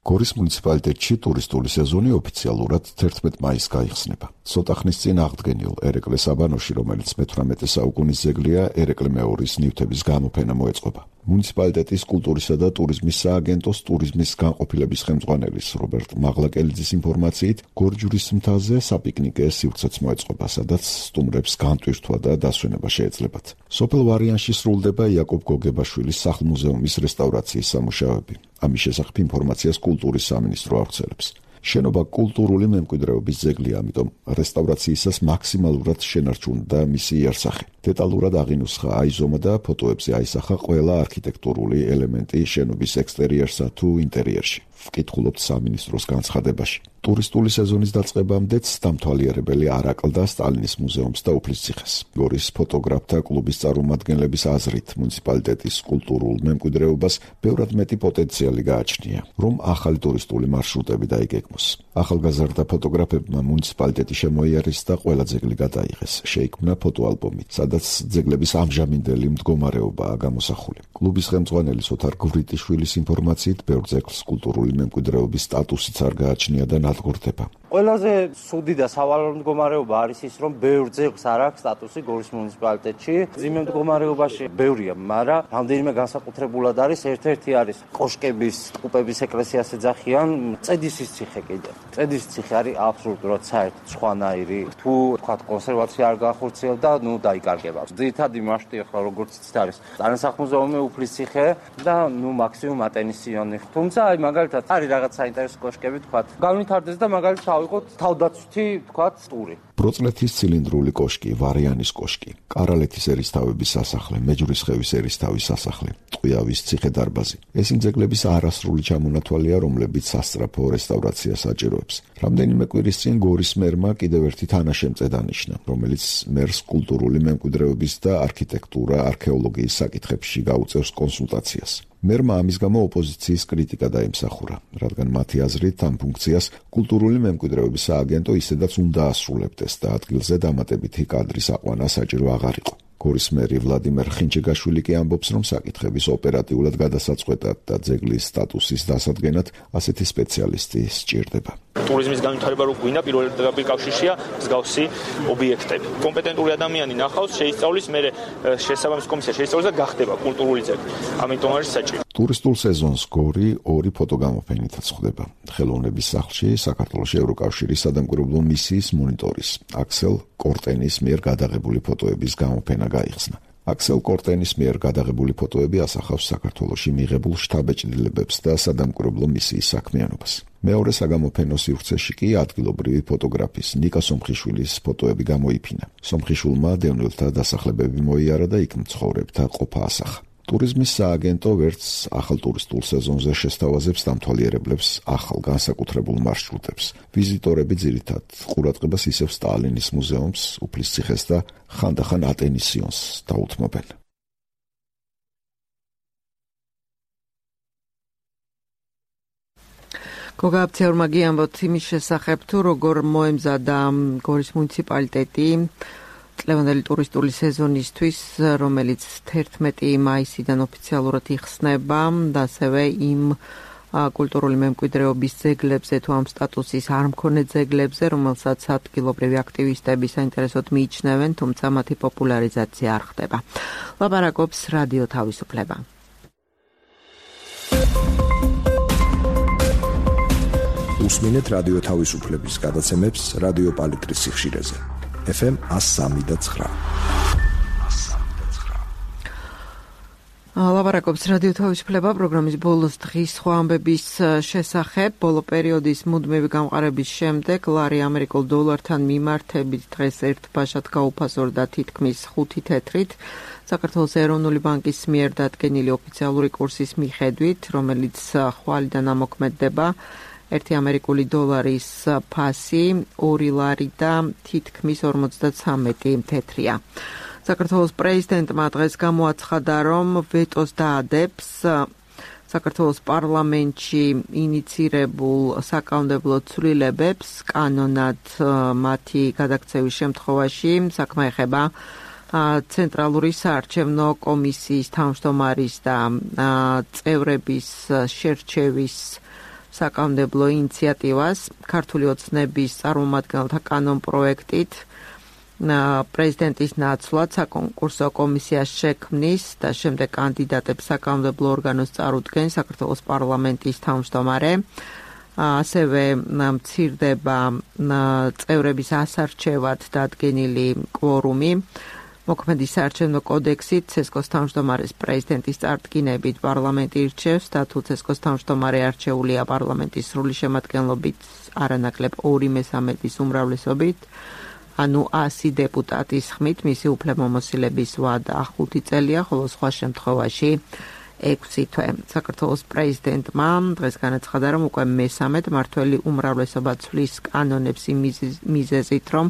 გორის მუნიციპალიტეტში ტურისტული სეზონი ოფიციალურად 11 მაისს გაიხსნება. ცოტა ხნის წინ აღდგენილ ერეკლე საბანოში, რომელიც მე-18 საუკუნის ძეგლია, ერეკლე მეორის ნივთების გამოფენა მოეწყობა. მუნიციპალიტეტის კულტურისა და ტურიზმის სააგენტოს ტურიზმის განყოფილების ხელმძღვანელის რობერტ მაღლაკელიძის ინფორმაციით, გორჯურის მთაზე საპიკნიკე სივრცეც მოეწყობა, სადაც სტუმრებს განტვირთვა და დასვენება შეეძლებათ. სოფელ ვარიანში სრულდება იაკობ გოგებაშვილის სახლ-მუზეუმის რესტავრაციის სამუშაოები. ამის შესახებ ინფორმაციას კულტურის სამინისტრო ავრცელებს. შენობა კულტურული მემკვიდრეობის ძეგლია, ამიტომ რესტავრაციისას მაქსიმალურად შენარჩუნდა მისი იარსახე. დეტალურად აღინუსხა აიზომა და ფოტოებზე აისახა ყველა არქიტექტურული ელემენტი შენობის ექსტერიერსა თუ ინტერიერში. ვკითხულობთ სამინისტროს განცხადებაში. ტურისტული სეზონის დაწყებამდეც დამთვალიერებელი არ აკლდა სტალინის მუზეუმს და უფლის ციხეს. გორის ფოტოგრაფთა კლუბის წარმომადგენლების აზრით, მუნიციპალიტეტის კულტურულ მემკვიდრეობას ბევრად მეტი პოტენციალი გააჩნია, რომ ახალი ტურისტული მარშრუტები დაიგეგმოს. ახალგაზრდა ფოტოგრაფებმა მუნიციპალიტეტი შემოიარეს და ყველა ძეგლი გადაიღეს. შეიქმნა ფოტოალბომი, სადაც ძეგლების ამჟამინდელი მდგომარეობაა გამოსახული. კლუბის ხელმძღვანელის ოთარ გვრიტიშვილის ინფორმაციით, ბევრ ძეგლს კულტურული მემკვიდრეობის სტატუსიც არ გააჩნია და ნადგურდება. ყველაზე სუდი და სავალალო მდგომარეობა არის ის, რომ ბევრ ძეგლს არ აქვს სტატუსი გორის მუნიციპალიტეტში. ძიმე მდგომარეობაში ბევრია, მაგრამ რამდენიმე განსაკუთრებულად არის. ერთ-ერთი არის კოშკების, ტყუპების ეკლესიას ეძახიან, წედისის ციხე კიდე. წედისის ციხე არის აბსოლუტურად საერთოდ სხვანაირი. თუ თქვათ კონსერვაცია არ გაახორციელდა, დაიკარგება. ძირითადი მასშტაბი ახლა როგორც იცით არის ტანსახმუზეუმი, უფლის ციხე და მაქსიმუმ ატენისიონი. თუმცა აი მაგალითად არის რაღაც საინტერესო კოშკები, თქვათ, განვითარდეს და მაგალითად ავიღოთ თავდაცვითი, თქვათ, ტური. ბროწლეთის ცილინდრული კოშკი, ვარიანის კოშკი, კარალეთის ერისთავების სასახლე, მეჯვრისხევის ერისთავის სასახლე, ტყვიავის ციხე-დარბაზი. ეს იმ ძეგლების არასრული ჩამონათვალია, რომლებიც სასწრაფო რესტავრაციას საჭიროებს. რამდენიმე კვირის წინ გორის მერმა კიდევ ერთი თანაშემწე დანიშნა, რომელიც მერს კულტურული მემკვიდრეობის და არქიტექტურა, არქეოლოგიის საკითხებში გაუწევს კონსულტაციას. მერმა ამის გამო ოპოზიციის კრიტიკა დაიმსახურა, რადგან მათი აზრით ამ ფუნქციას კულტურული მემკვიდრეობის სააგენტო ისედაც უნდა ასრულებდეს და ადგილზე დამატებითი კადრის აყვანა საჭირო აღარ იყო. გორის მერი ვლადიმერ ხინჩეგაშვილი კი ამბობს, რომ საკითხების ოპერატიულად გადასაწყვეტად და ძეგლის სტატუსის დასადგენად ასეთი სპეციალისტი სჭირდება. ტურიზმის განვითარება რო გვინდა, პირველ კავშირშია მსგავსი ობიექტები. კომპეტენტური ადამიანი ნახავს, შეისწავლის, მერე შესაბამის კომისია შეისწავლის და გახდება კულტურული ძეგლი. ამიტომ არის საჭირო. ტურისტულ სეზონს გორი ორი ფოტოგამოფენითაც ხვდება. ხელოვნების სახლში საქართველოში ევროკავშირის სადამკვირვებლო მისიის მონიტორის აქსელ კორტენის მიერ გადაღებული ფოტოების გამოფენა გაიხსნა. აქსელ კორტენის მიერ გადაღებული ფოტოები ასახავს საქართველოში მიღებულ შთაბეჭდილებებს და სადამკვირვებლო მისიის საქმიანობას. მეორე საგამოფენო სივრცეში კი ადგილობრივი ფოტოგრაფის ნიკა სომხიშვილის ფოტოები გამოიფინა. სომხიშვილმა დევნილთა დასახლებები მოიარა და იქ მცხოვრებთა ყოფა ასახა. ტურიზმის სააგენტო ვერც ახალ ტურისტულ სეზონზე შესთავაზებს დამთვალიერებლებს ახალ განსაკუთრებულ მარშრუტებს. ვიზიტორები ძირითად ყურადღებას ისევ სტალინის მუზეუმს, უფლის ციხეს და ხანდახან ატენისიონს დაუთმობენ. გოგაბცეურმა გიამბოთ იმის შესახებ, თუ როგორ მოემზადა გორის მუნიციპალიტეტი წლევანდელი ტურისტული სეზონისთვის, რომელიც 11 მაისიდან ოფიციალურად იხსნება და ასევე იმ კულტურული მემკვიდრეობის ძეგლებზე თუ ამ სტატუსის არ მქონე ძეგლებზე, რომელსაც ადგილობრივი აქტივისტები საინტერესოდ მიიჩნევენ, თუმცა მათი პოპულარიზაცია არ ხდება. ლაპარაკობს რადიო თავისუფლება. უსმინეთ რადიო თავისუფლების გადაცემებს რადიო პალიტრის სიხშირეზე. FM 103.9. ლაპარაკობს რადიო თავისუფლება პროგრამის ბოლოს დღის სხვა ამბების შესახებ. ბოლო პერიოდის მუდმივი გამყარების შემდეგ ლარი ამერიკულ დოლართან მიმართებით დღეს ერთ ბაშად გაუფასორდა თითქმის 5 თეთრით. საქართველოს ეროვნული ბანკის მიერ დადგენილი ოფიციალური კურსის მიხედვით, რომელიც ხვალიდან ამოქმედდება, 1 ამერიკული დოლარის ფასი 2 ლარი და თითქმის 53 თეთრია. საქართველოს პრეზიდენტმა დღეს გამოაცხადა, რომ ვეტოს დაადებს საქართველოს პარლამენტში ინიცირებულ საკანონმდებლო ცვლილებებს, კანონად მათი გადაქცევის შემთხვევაში საქმე ეხება ცენტრალური საარჩევნო კომისიის თავმჯდომარის და წევრების შერჩევის საკანონმდებლო ინიციატივას. ქართული ოცნების წარმომადგენელთა კანონპროექტით პრეზიდენტის ნაცვლად საკონკურსო კომისიას შექმნის და შემდეგ კანდიდატებს საკანონმდებლო ორგანოს წარუდგენ საქართველოს პარლამენტის თავმჯდომარე. ასევე მცირდება წევრების ასარჩევად დადგენილი კვორუმი. მოქმედი საარჩევნო კოდექსით ცესკოს თავმჯდომარეს პრეზიდენტის წარდგინებით პარლამენტი ირჩევს და თუ ცესკოს თავმჯდომარე არჩეულია პარლამენტის სრული შემადგენლობით არანაკლებ 2/3 უმრავლესობით, ანუ 100 დეპუტატის ხმით, მისი უფლებამოსილების ვადა 5 წელია, ხოლო სხვა შემთხვევაში 6 თვე. საქართველოს პრეზიდენტმა დღეს განაცხადა, რომ უკვე მესამედ მართველი უმრავლესობა ცვლის კანონებს იმ მიზეზით, რომ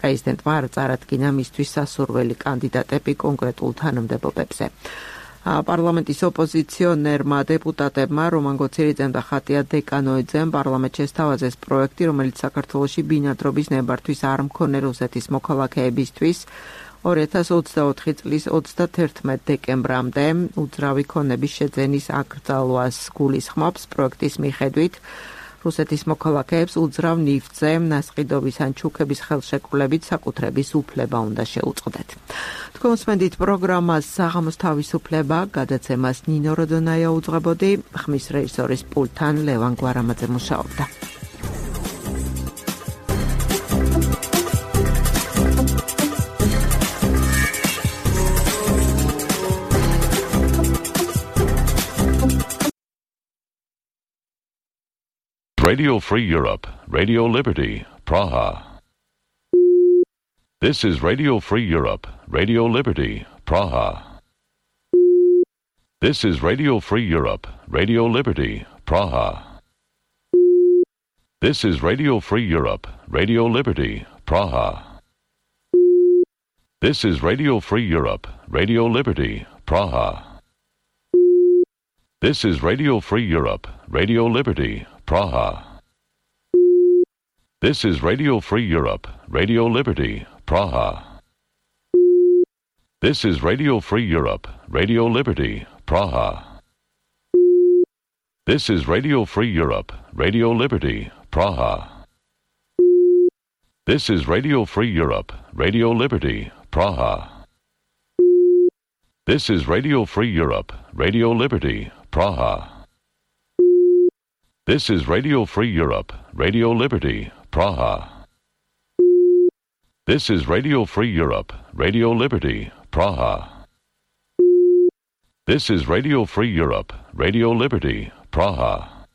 პრეზიდენტმა არ წარადგინა მისთვის სასურველი კანდიდატები კონკრეტულ თანამდებობებზე. პარლამენტის ოპოზიციონერმა დეპუტატებმა რომან გოცირიძემ და ხატია დეკანოიძემ პარლამენტში შესთავაზეს პროექტი, რომელიც საქართველოში ბინადრობის ნებართვის არ მქონე რუსეთის მოქალაქეებისთვის 2024 წლის 31 დეკემბრამდე უძრავი ქონების შეძენის აკრძალვას გულისხმობს. პროექტის მიხედვით რუსეთის მოქალაქეებს უძრავ ნივთზე ნასყიდობის ან ჩუქების ხელშეკრულებით საკუთრების უფლება უნდა შეუწყდეთ. თქვენ უსმენთ პროგრამას საღამოს თავისუფლება, გადაცემას ნინო როდონაია უძღვებოდი, ხმის რეჟისორის პულტთან ლევან გვარამაძე მუშაობდა. Radio Free Europe, Radio Liberty, Praha. This is Radio Free Europe, Radio Liberty, Praha. This is Radio Free Europe, Radio Liberty, Praha. This is Radio Free Europe, Radio Liberty, Praha. This is Radio Free Europe, Radio Liberty, Praha. This is Radio Free Europe, Radio Liberty, Praha. This is Radio Free Europe, Radio Liberty, Praha. This is Radio Free Europe, Radio Liberty, Praha. This is Radio Free Europe, Radio Liberty, Praha. This is Radio Free Europe, Radio Liberty, Praha. This is Radio Free Europe, Radio Liberty, Praha. This is Radio Free Europe, Radio Liberty, Praha. This is Radio Free Europe, Radio Liberty, Praha. This is Radio Free Europe, Radio Liberty, Praha.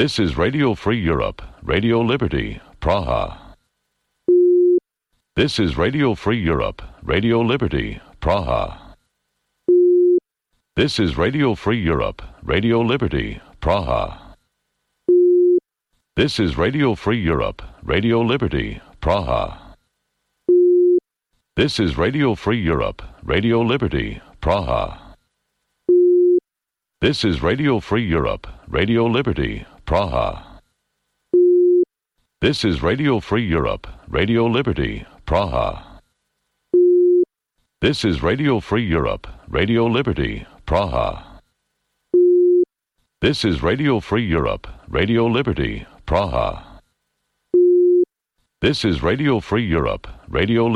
This is Radio Free Europe, Radio Liberty, Praha. This is Radio Free Europe, Radio Liberty, Praha. This is Radio Free Europe, Radio Liberty, Praha. This is Radio Free Europe, Radio Liberty, Praha. This is Radio Free Europe, Radio Liberty, Praha. This is Radio Free Europe, Radio Liberty, Praha. This is Radio Free Europe, Radio Liberty, Praha. This is Radio Free Europe, Radio Liberty, Praha. This is Radio Free Europe, Radio Liberty, Praha. This is Radio Free Europe, Radio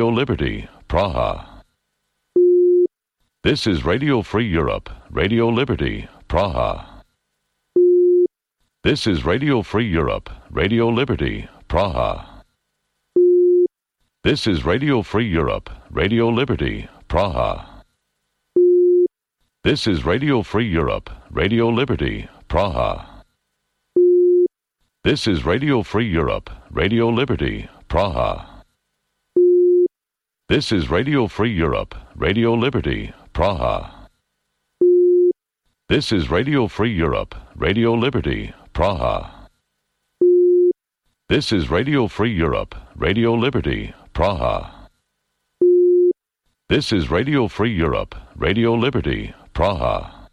Liberty, Praha. This is Radio Free Europe, Radio Liberty, Praha. This is Radio Free Europe, Radio Liberty, Praha. This is Radio Free Europe, Radio Liberty, Praha. This is Radio Free Europe, Radio Liberty, Praha. This is Radio Free Europe, Radio Liberty, Praha. This is Radio Free Europe, Radio Liberty, Praha. This is Radio Free Europe, Radio Liberty, Praha. This is Radio Free Europe, Radio Liberty, Praha. This is Radio Free Europe, Radio Liberty, Praha. This is Radio Free Europe, Radio Liberty, Praha.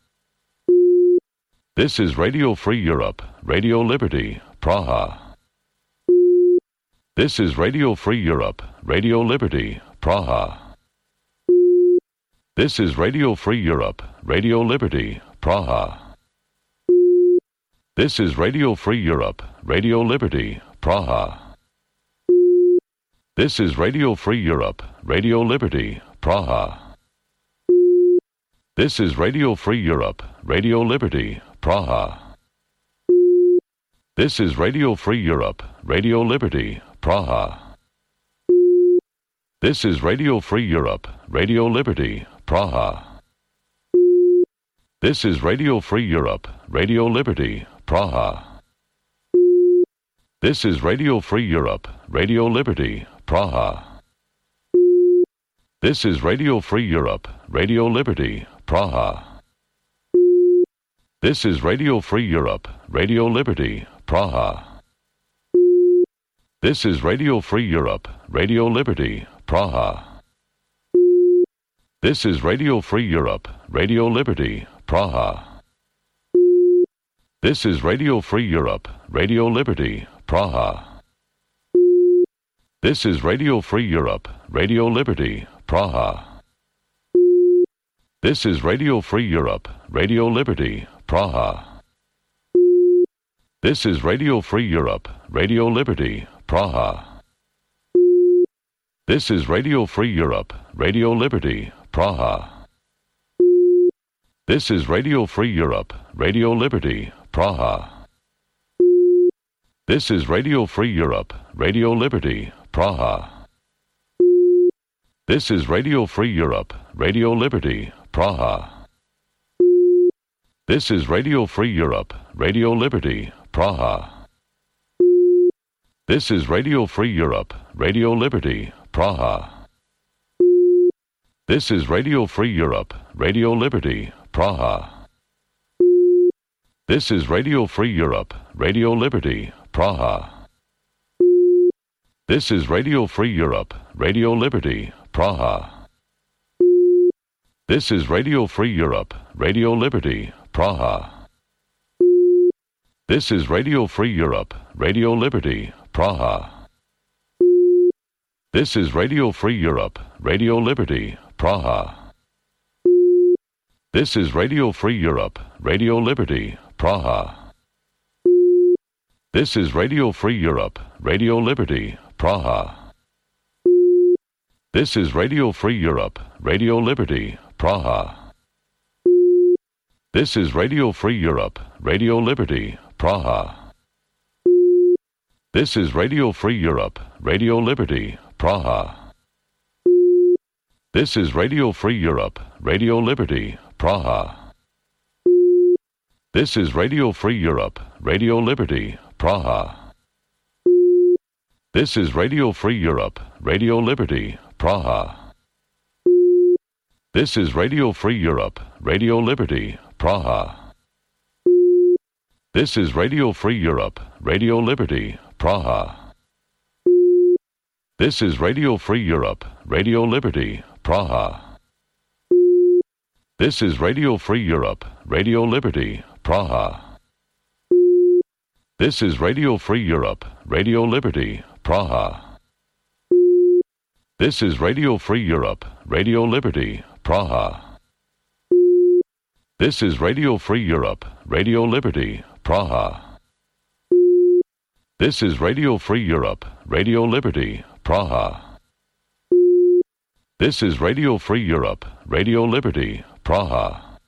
This is Radio Free Europe, Radio Liberty, Praha. This is Radio Free Europe, Radio Liberty, Praha. This is Radio Free Europe, Radio Liberty, Praha. This is Radio Free Europe, Radio Liberty, Praha. This is Radio Free Europe, Radio Liberty, Praha. This is Radio Free Europe, Radio Liberty, Praha. This is Radio Free Europe, Radio Liberty, Praha. This is Radio Free Europe, Radio Liberty, Praha. This is Radio Free Europe, Radio Liberty, Praha. This is Radio Free Europe, Radio Liberty, Praha. This is Radio Free Europe, Radio Liberty, Praha. This is Radio Free Europe, Radio Liberty, Praha. This is Radio Free Europe, Radio Liberty, Praha. This is Radio Free Europe, Radio Liberty, Praha. This is Radio Free Europe, Radio Liberty, Praha. This is Radio Free Europe, Radio Liberty, Praha. This is Radio Free Europe, Radio Liberty, Praha. This is Radio Free Europe, Radio Liberty, Praha. This is Radio Free Europe, Radio Liberty, Praha. This is Radio Free Europe, Radio Liberty, Praha. This is Radio Free Europe, Radio Liberty, Praha. This is Radio Free Europe, Radio Liberty, Praha. This is Radio Free Europe, Radio Liberty, Praha. This is Radio Free Europe, Radio Liberty, Praha. This is Radio Free Europe, Radio Liberty, Praha. This is Radio Free Europe, Radio Liberty, Praha. This is Radio Free Europe, Radio Liberty, Praha. This is Radio Free Europe, Radio Liberty, Praha. This is Radio Free Europe, Radio Liberty, Praha. This is Radio Free Europe, Radio Liberty, Praha. This is Radio Free Europe, Radio Liberty, Praha. This is Radio Free Europe, Radio Liberty, Praha. This is Radio Free Europe, Radio Liberty, Praha. This is Radio Free Europe, Radio Liberty, Praha. This is Radio Free Europe, Radio Liberty, Praha. This is Radio Free Europe, Radio Liberty, Praha. This is Radio Free Europe, Radio Liberty, Praha. This is Radio Free Europe, Radio Liberty, Praha. This is Radio Free Europe, Radio Liberty, Praha. This is Radio Free Europe, Radio Liberty, Praha. This is Radio Free Europe, Radio Liberty, Praha. This is Radio Free Europe, Radio Liberty, Praha. This is Radio Free Europe, Radio Liberty, Praha. This is Radio Free Europe, Radio Liberty, Praha. This is Radio Free Europe, Radio Liberty, Praha. This is Radio Free Europe, Radio Liberty, Praha. This is Radio Free Europe, Radio Liberty, Praha.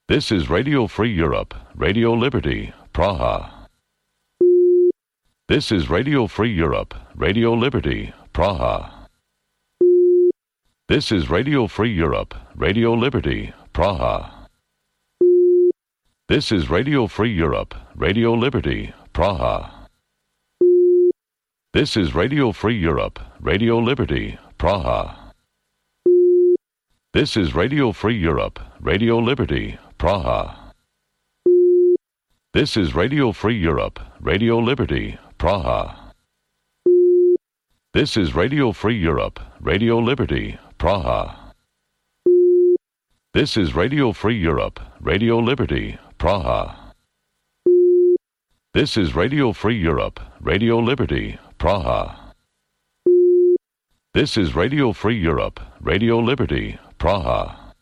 This is Radio Free Europe, Radio Liberty, Praha. This is Radio Free Europe, Radio Liberty, Praha. This is Radio Free Europe, Radio Liberty, Praha. This is Radio Free Europe, Radio Liberty, Praha. This is Radio Free Europe, Radio Liberty, Praha. This is Radio Free Europe, Radio Liberty, Praha. This is Radio Free Europe, Radio Liberty, Praha. This is Radio Free Europe, Radio Liberty, Praha. This is Radio Free Europe, Radio Liberty, Praha. This is Radio Free Europe, Radio Liberty, Praha. This is Radio Free Europe, Radio Liberty, Praha.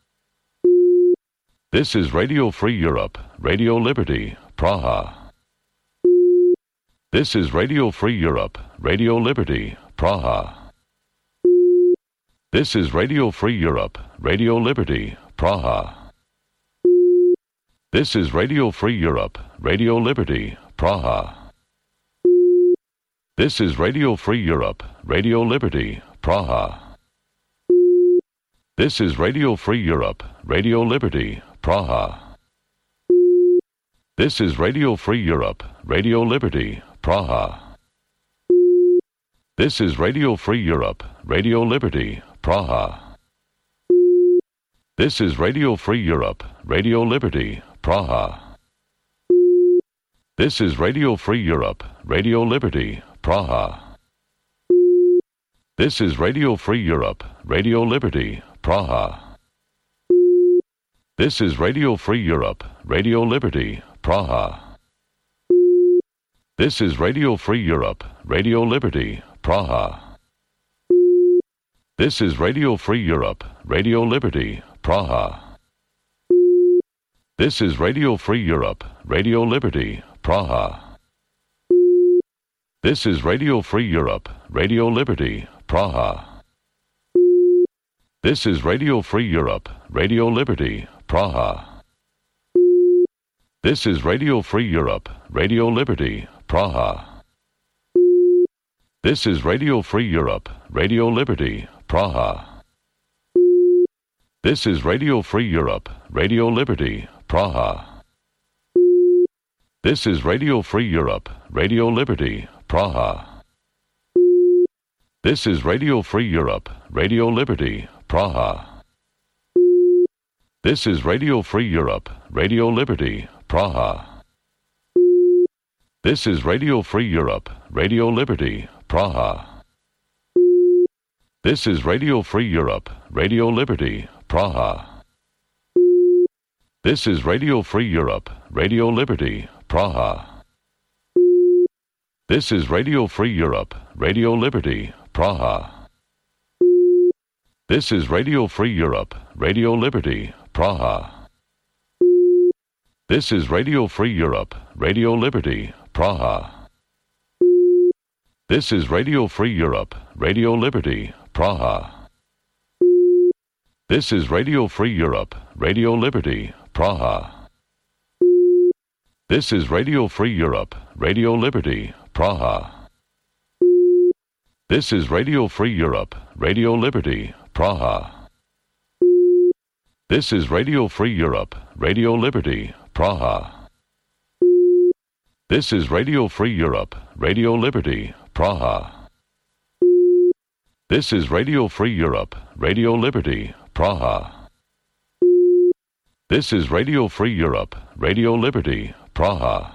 This is Radio Free Europe, Radio Liberty, Praha. This is Radio Free Europe, Radio Liberty, Praha. This is Radio Free Europe, Radio Liberty, Praha. This is Radio Free Europe, Radio Liberty, Praha. This is Radio Free Europe, Radio Liberty, Praha. This is Radio Free Europe, Radio Liberty, Praha. This is Radio Free Europe, Radio Liberty, Praha. This is Radio Free Europe, Radio Liberty, Praha. This is Radio Free Europe, Radio Liberty, Praha. This is Radio Free Europe, Radio Liberty, Praha. This is Radio Free Europe, Radio Liberty, Praha. This is Radio Free Europe, Radio Liberty, Praha. This is Radio Free Europe, Radio Liberty, Praha. This is Radio Free Europe, Radio Liberty, Praha. This is Radio Free Europe, Radio Liberty, Praha. This is Radio Free Europe, Radio Liberty, Praha. This is Radio Free Europe, Radio Liberty, Praha. This is Radio Free Europe, Radio Liberty, Praha. This is Radio Free Europe, Radio Liberty, Praha. This is Radio Free Europe, Radio Liberty, Praha. This is Radio Free Europe, Radio Liberty, Praha. This is Radio Free Europe, Radio Liberty, Praha. This is Radio Free Europe, Radio Liberty, Praha. This is Radio Free Europe, Radio Liberty, Praha. This is Radio Free Europe, Radio Liberty, Praha. This is Radio Free Europe, Radio Liberty, Praha. This is Radio Free Europe, Radio Liberty, Praha. This is Radio Free Europe, Radio Liberty, Praha. This is Radio Free Europe, Radio Liberty, Praha. This is Radio Free Europe, Radio Liberty, Praha. This is Radio Free Europe, Radio Liberty, Praha. This is Radio Free Europe, Radio Liberty, Praha. This is Radio Free Europe, Radio Liberty, Praha. This is Radio Free Europe, Radio Liberty, Praha. This is Radio Free Europe, Radio Liberty, Praha. This is Radio Free Europe, Radio Liberty, Praha. This is Radio Free Europe, Radio Liberty, Praha.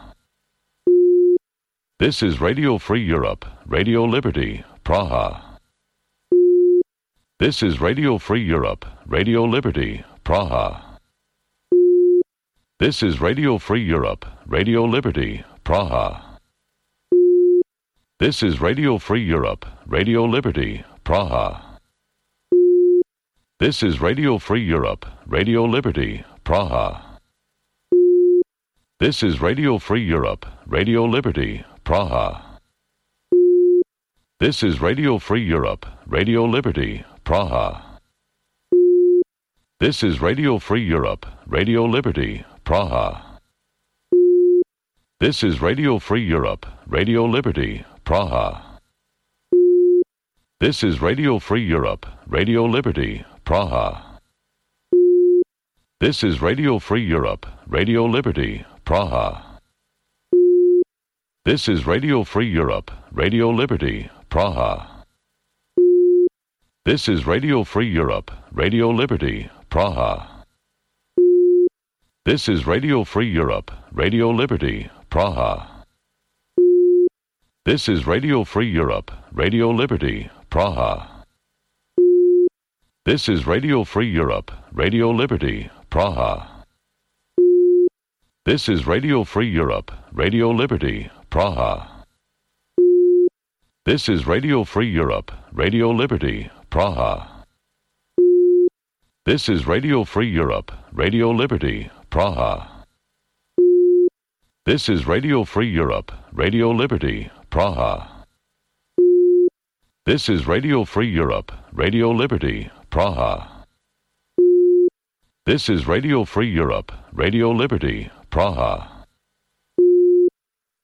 This is Radio Free Europe, Radio Liberty, Praha. This is Radio Free Europe, Radio Liberty, Praha. This is Radio Free Europe, Radio Liberty, Praha. This is Radio Free Europe, Radio Liberty, Praha. This is Radio Free Europe, Radio Liberty, Praha. This is Radio Free Europe, Radio Liberty, Praha. This is Radio Free Europe, Radio Liberty, Praha. This is Radio Free Europe, Radio Liberty, Praha. This is Radio Free Europe, Radio Liberty, Praha. This is Radio Free Europe, Radio Liberty, Praha. This is Radio Free Europe, Radio Liberty, Praha. This is Radio Free Europe, Radio Liberty, Praha. This is Radio Free Europe, Radio Liberty, Praha. This is Radio Free Europe, Radio Liberty, Praha. This is Radio Free Europe, Radio Liberty, Praha. This is Radio Free Europe, Radio Liberty, Praha. This is Radio Free Europe, Radio Liberty, Praha. This is Radio Free Europe, Radio Liberty, Praha. This is Radio Free Europe, Radio Liberty, Praha. This is Radio Free Europe, Radio Liberty, Praha. This is Radio Free Europe, Radio Liberty, Praha. This is Radio Free Europe, Radio Liberty, Praha.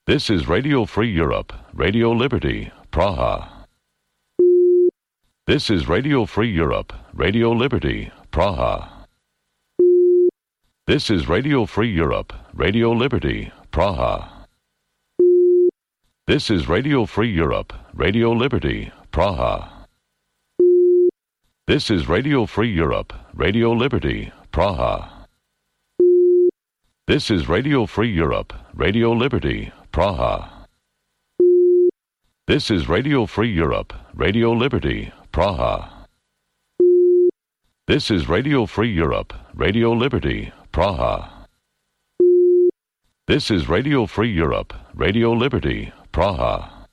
This is Radio Free Europe, Radio Liberty, Praha. This is Radio Free Europe, Radio Liberty, Praha. This is Radio Free Europe, Radio Liberty, Praha. This is Radio Free Europe, Radio Liberty, Praha. This is Radio Free Europe, Radio Liberty, Praha. This is Radio Free Europe, Radio Liberty, Praha. This is Radio Free Europe, Radio Liberty, Praha. This is Radio Free Europe, Radio Liberty, Praha. This is Radio Free Europe, Radio Liberty, Praha.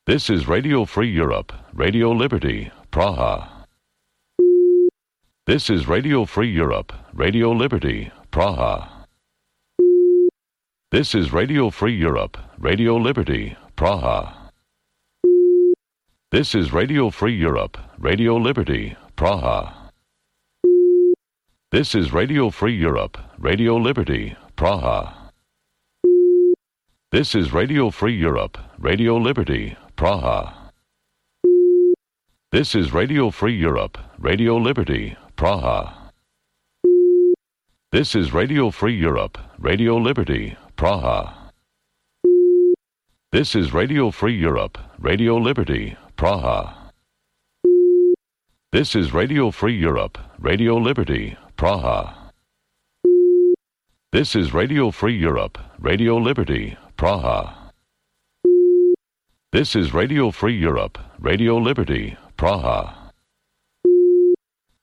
This is Radio Free Europe, Radio Liberty, Praha. This is Radio Free Europe, Radio Liberty, Praha. This is Radio Free Europe, Radio Liberty, Praha. This is Radio Free Europe, Radio Liberty, Praha. This is Radio Free Europe, Radio Liberty, Praha. This is Radio Free Europe, Radio Liberty, Praha. This is Radio Free Europe, Radio Liberty, Praha. This is Radio Free Europe, Radio Liberty, Praha. This is Radio Free Europe, Radio Liberty, Praha. This is Radio Free Europe, Radio Liberty, Praha. This is Radio Free Europe, Radio Liberty, Praha. This is Radio Free Europe, Radio Liberty, Praha.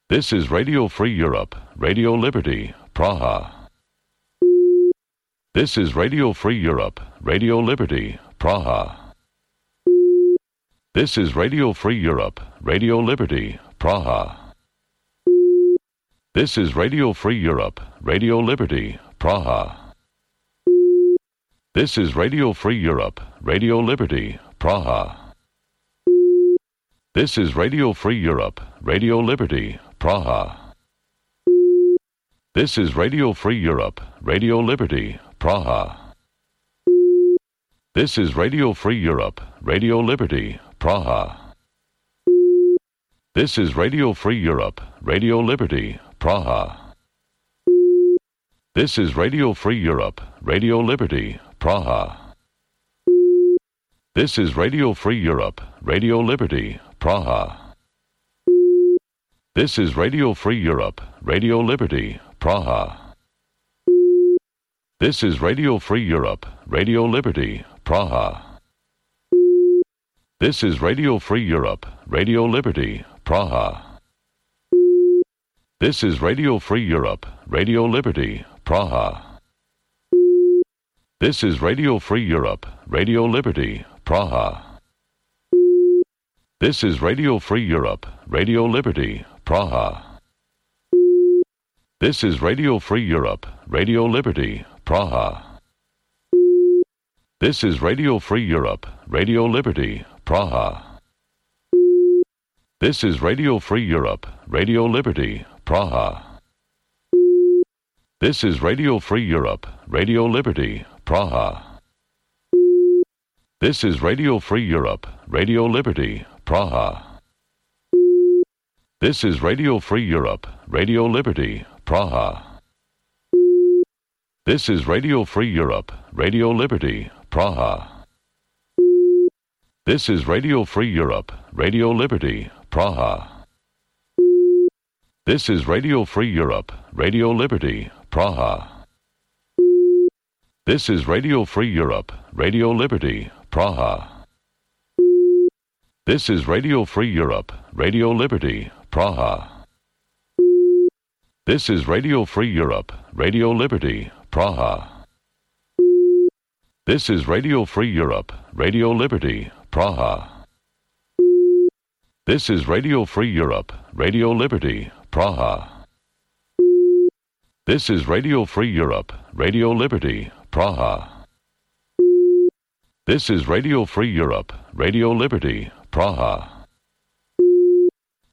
This is Radio Free Europe, Radio Liberty, Praha. This is Radio Free Europe, Radio Liberty, Praha. This is Radio Free Europe, Radio Liberty, Praha. This is Radio Free Europe, Radio Liberty, Praha. This is Radio Free Europe, Radio Liberty, Praha. This is Radio Free Europe, Radio Liberty, Praha. This is Radio Free Europe, Radio Liberty, Praha. This is Radio Free Europe, Radio Liberty, Praha. This is Radio Free Europe, Radio Liberty, Praha. This is Radio Free Europe, Radio Liberty, Praha. This is Radio Free Europe, Radio Liberty, Praha. This is Radio Free Europe, Radio Liberty, Praha. This is Radio Free Europe, Radio Liberty, Praha. This is Radio Free Europe, Radio Liberty, Praha. This is Radio Free Europe, Radio Liberty, Praha. This is Radio Free Europe, Radio Liberty, Praha. This is Radio Free Europe, Radio Liberty, Praha. This is Radio Free Europe, Radio Liberty, Praha. This is Radio Free Europe, Radio Liberty, Praha. This is Radio Free Europe, Radio Liberty, Praha. This is Radio Free Europe, Radio Liberty, Praha. This is Radio Free Europe, Radio Liberty, Praha. This is Radio Free Europe, Radio Liberty, Praha. This is Radio Free Europe, Radio Liberty, Praha. This is Radio Free Europe, Radio Liberty, Praha. This is Radio Free Europe, Radio Liberty, Praha. This is Radio Free Europe, Radio Liberty, Praha. This is Radio Free Europe, Radio Liberty, Praha. This is Radio Free Europe, Radio Liberty, Praha. This is Radio Free Europe, Radio Liberty, Praha. This is Radio Free Europe, Radio Liberty, Praha. This is Radio Free Europe, Radio Liberty, Praha. This is Radio Free Europe, Radio Liberty, Praha.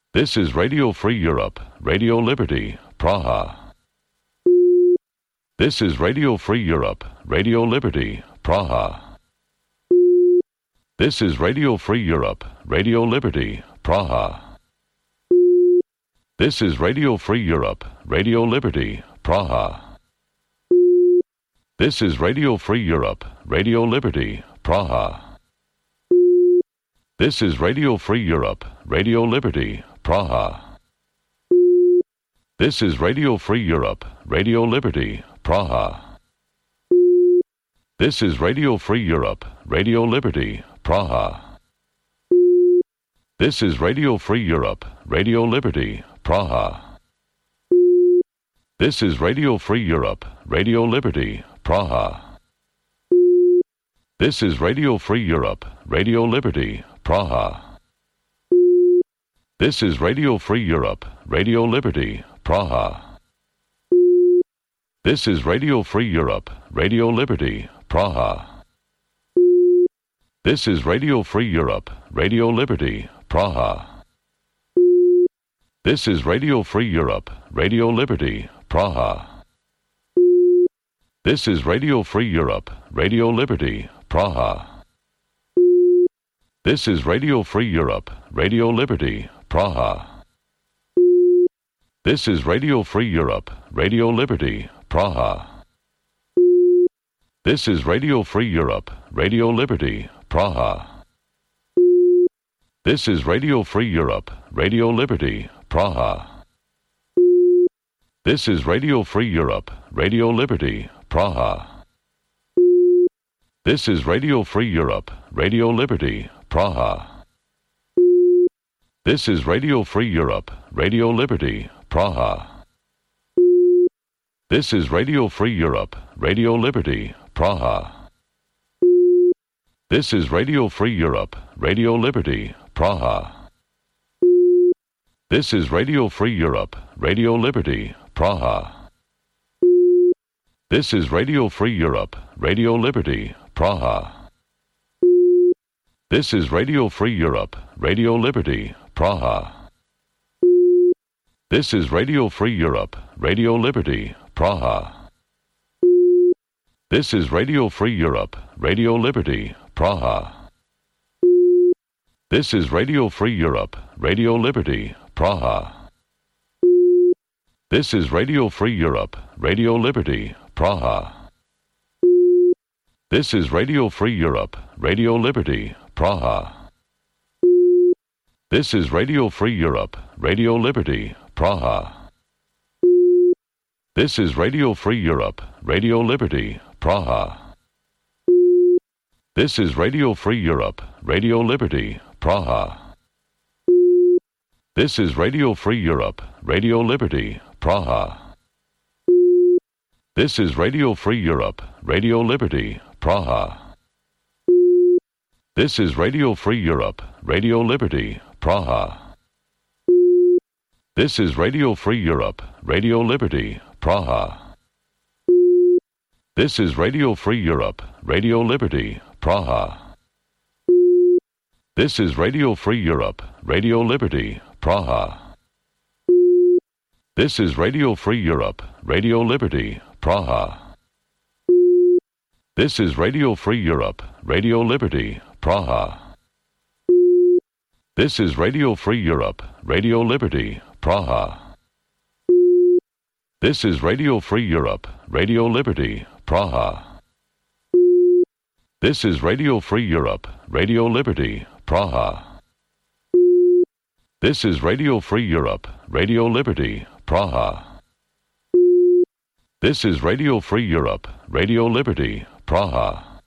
This is Radio Free Europe, Radio Liberty, Praha. This is Radio Free Europe, Radio Liberty, Praha. This is Radio Free Europe, Radio Liberty, Praha. This is Radio Free Europe, Radio Liberty, Praha. This is Radio Free Europe, Radio Liberty, Praha. This is Radio Free Europe, Radio Liberty, Praha. This is Radio Free Europe, Radio Liberty, Praha. This is Radio Free Europe, Radio Liberty, Praha. This is Radio Free Europe, Radio Liberty, Praha. This is Radio Free Europe, Radio Liberty, Praha. This is Radio Free Europe, Radio Liberty, Praha. This is Radio Free Europe, Radio Liberty, Praha. This is Radio Free Europe, Radio Liberty, Praha. This is Radio Free Europe, Radio Liberty, Praha. This is Radio Free Europe, Radio Liberty, Praha. This is Radio Free Europe, Radio Liberty, Praha. This is Radio Free Europe, Radio Liberty, Praha. This is Radio Free Europe, Radio Liberty, Praha. This is Radio Free Europe, Radio Liberty, Praha. This is Radio Free Europe, Radio Liberty, Praha. This is Radio Free Europe, Radio Liberty, Praha. This is Radio Free Europe, Radio Liberty, Praha. This is Radio Free Europe, Radio Liberty, Praha. This is Radio Free Europe, Radio Liberty, Praha. This is Radio Free Europe, Radio Liberty, Praha. This is Radio Free Europe, Radio Liberty, Praha. This is Radio Free Europe, Radio Liberty, Praha. This is Radio Free Europe, Radio Liberty, Praha. This is Radio Free Europe, Radio Liberty, Praha. This is Radio Free Europe, Radio Liberty, Praha. This is Radio Free Europe, Radio Liberty, Praha. This is Radio Free Europe, Radio Liberty, Praha. This is Radio Free Europe, Radio Liberty, Praha. This is Radio Free Europe, Radio Liberty, Praha. This is Radio Free Europe, Radio Liberty, Praha. This is Radio Free Europe, Radio Liberty, Praha. This is Radio Free Europe, Radio Liberty, Praha. This is Radio Free Europe, Radio Liberty, Praha. This is Radio Free Europe, Radio Liberty, Praha. This is Radio Free Europe, Radio Liberty, Praha. This is Radio Free Europe, Radio Liberty, Praha. This is Radio Free Europe, Radio Liberty, Praha. This is Radio Free Europe, Radio Liberty, Praha. This is Radio Free Europe, Radio Liberty, Praha. This is Radio Free Europe, Radio Liberty, Praha. This is Radio Free Europe, Radio Liberty, Praha. This is Radio Free Europe, Radio Liberty, Praha. This is Radio Free Europe, Radio Liberty, Praha. This is Radio Free Europe, Radio Liberty, Praha.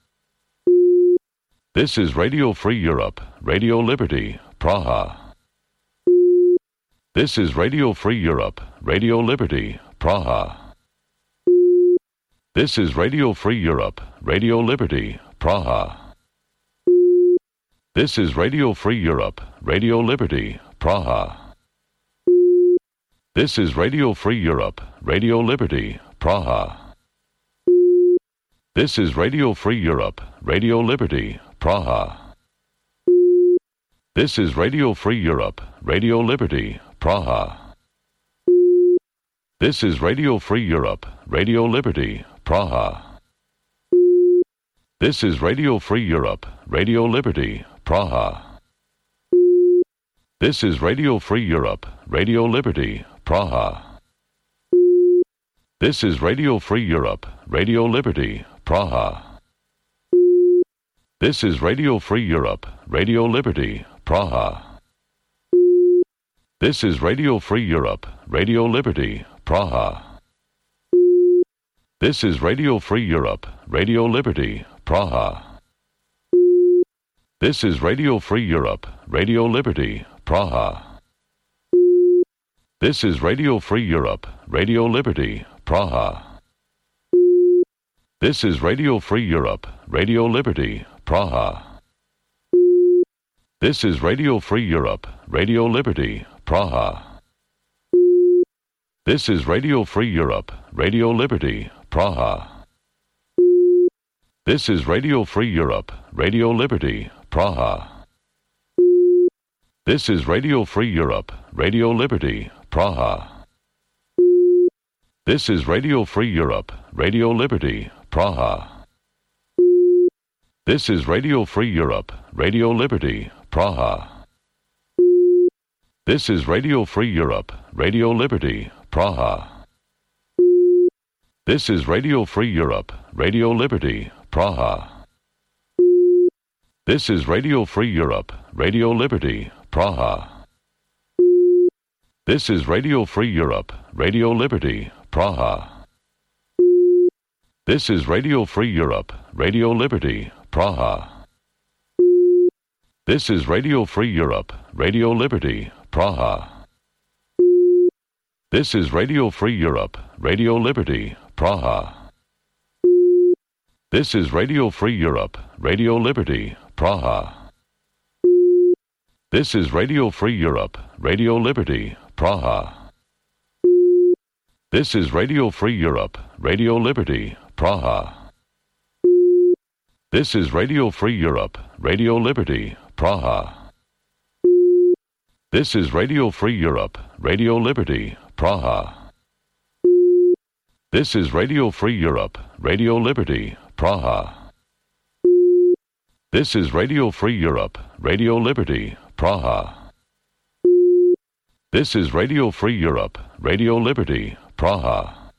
This is Radio Free Europe, Radio Liberty, Praha. This is Radio Free Europe, Radio Liberty, Praha. This is Radio Free Europe, Radio Liberty, Praha. This is Radio Free Europe, Radio Liberty, Praha. This is Radio Free Europe, Radio Liberty, Praha. This is Radio Free Europe, Radio Liberty, Praha. This is Radio Free Europe, Radio Liberty, Praha. This is Radio Free Europe, Radio Liberty, Praha. This is Radio Free Europe, Radio Liberty, Praha. This is Radio Free Europe, Radio Liberty, Praha. This is Radio Free Europe, Radio Liberty, Praha. This is Radio Free Europe, Radio Liberty, Praha. This is Radio Free Europe, Radio Liberty, Praha. This is Radio Free Europe, Radio Liberty, Praha. This is Radio Free Europe, Radio Liberty, Praha. This is Radio Free Europe, Radio Liberty, Praha. This is Radio Free Europe, Radio Liberty, Praha. This is Radio Free Europe, Radio Liberty, Praha. This is Radio Free Europe, Radio Liberty, Praha. This is Radio Free Europe, Radio Liberty, Praha. This is Radio Free Europe, Radio Liberty, Praha. This is Radio Free Europe, Radio Liberty, Praha. This is Radio Free Europe, Radio Liberty, Praha. This is Radio Free Europe, Radio Liberty, Praha. This is Radio Free Europe, Radio Liberty, Praha. This is Radio Free Europe, Radio Liberty, Praha. This is Radio Free Europe, Radio Liberty, Praha. This is Radio Free Europe, Radio Liberty, Praha. This is Radio Free Europe, Radio Liberty, Praha. This is Radio Free Europe, Radio Liberty, Praha. This is Radio Free Europe, Radio Liberty, Praha. This is Radio Free Europe, Radio Liberty, Praha. This is Radio Free Europe, Radio Liberty, Praha. This is Radio Free Europe, Radio Liberty, Praha. This is Radio Free Europe, Radio Liberty, Praha. This is Radio Free Europe, Radio Liberty, Praha. This is Radio Free Europe, Radio Liberty, Praha. This is Radio Free Europe, Radio Liberty, Praha.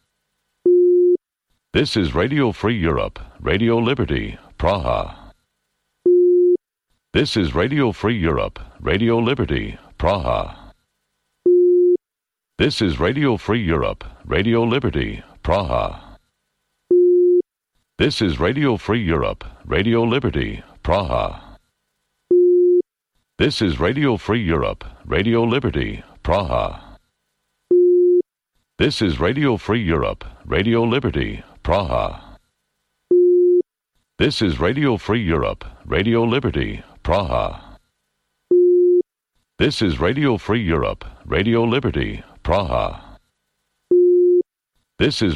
This is Radio Free Europe, Radio Liberty, Praha. This is Radio Free Europe, Radio Liberty, Praha. This is Radio Free Europe, Radio Liberty, Praha. This is Radio Free Europe, Radio Liberty, Praha. This is Radio Free Europe, Radio Liberty, Praha. This is Radio Free Europe, Radio Liberty, Praha. This is Radio Free Europe, Radio Liberty, Praha. This is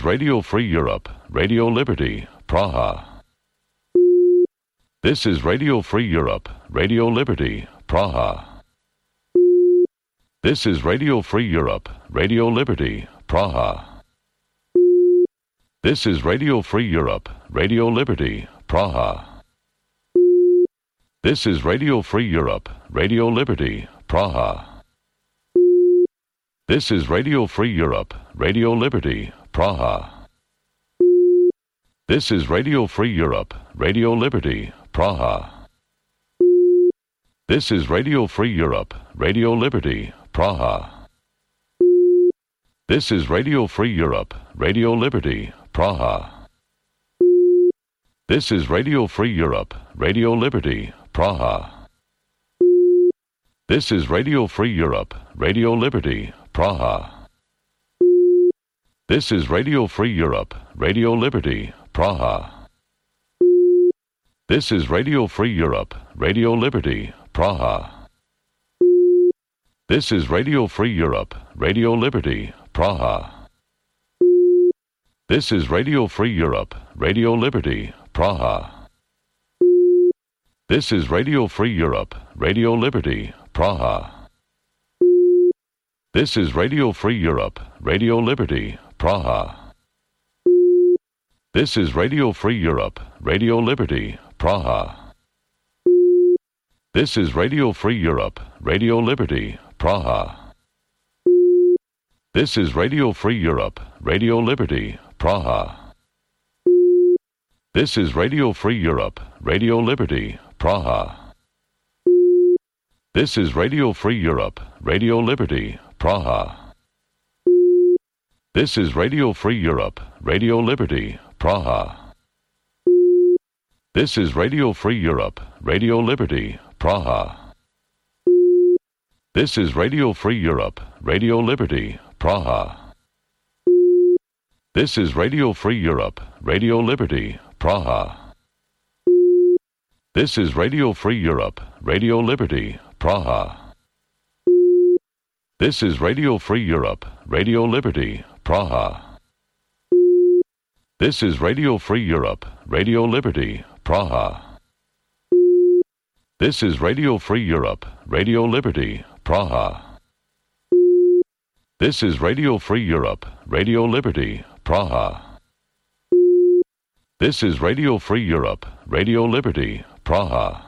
Radio Free Europe, Radio Liberty, Praha. This is Radio Free Europe, Radio Liberty, Praha. This is Radio Free Europe, Radio Liberty, Praha. This is Radio Free Europe, Radio Liberty, Praha. This is Radio Free Europe, Radio Liberty, Praha. This is Radio Free Europe, Radio Liberty, Praha. This is Radio Free Europe, Radio Liberty, Praha. This is Radio Free Europe, Radio Liberty, Praha. This is Radio Free Europe, Radio Liberty, Praha. This is Radio Free Europe, Radio Liberty, Praha. This is Radio Free Europe, Radio Liberty, Praha. This is Radio Free Europe, Radio Liberty, Praha. This is Radio Free Europe, Radio Liberty, Praha. This is Radio Free Europe, Radio Liberty, Praha. This is Radio Free Europe, Radio Liberty, Praha. This is Radio Free Europe, Radio Liberty, Praha. This is Radio Free Europe, Radio Liberty, Praha. This is Radio Free Europe, Radio Liberty, Praha. This is Radio Free Europe, Radio Liberty, Praha. This is Radio Free Europe, Radio Liberty, Praha. This is Radio Free Europe, Radio Liberty, Praha. This is Radio Free Europe, Radio Liberty, Praha. This is Radio Free Europe, Radio Liberty, Praha. This is Radio Free Europe, Radio Liberty, Praha. This is Radio Free Europe, Radio Liberty, Praha. This is Radio Free Europe, Radio Liberty, Praha. This is Radio Free Europe, Radio Liberty, Praha. This is Radio Free Europe, Radio Liberty, Praha. This is Radio Free Europe, Radio Liberty, Praha. This is Radio Free Europe, Radio Liberty, Praha. This is Radio Free Europe, Radio Liberty, Praha. This is Radio Free Europe, Radio Liberty, Praha. This is Radio Free Europe, Radio Liberty, Praha.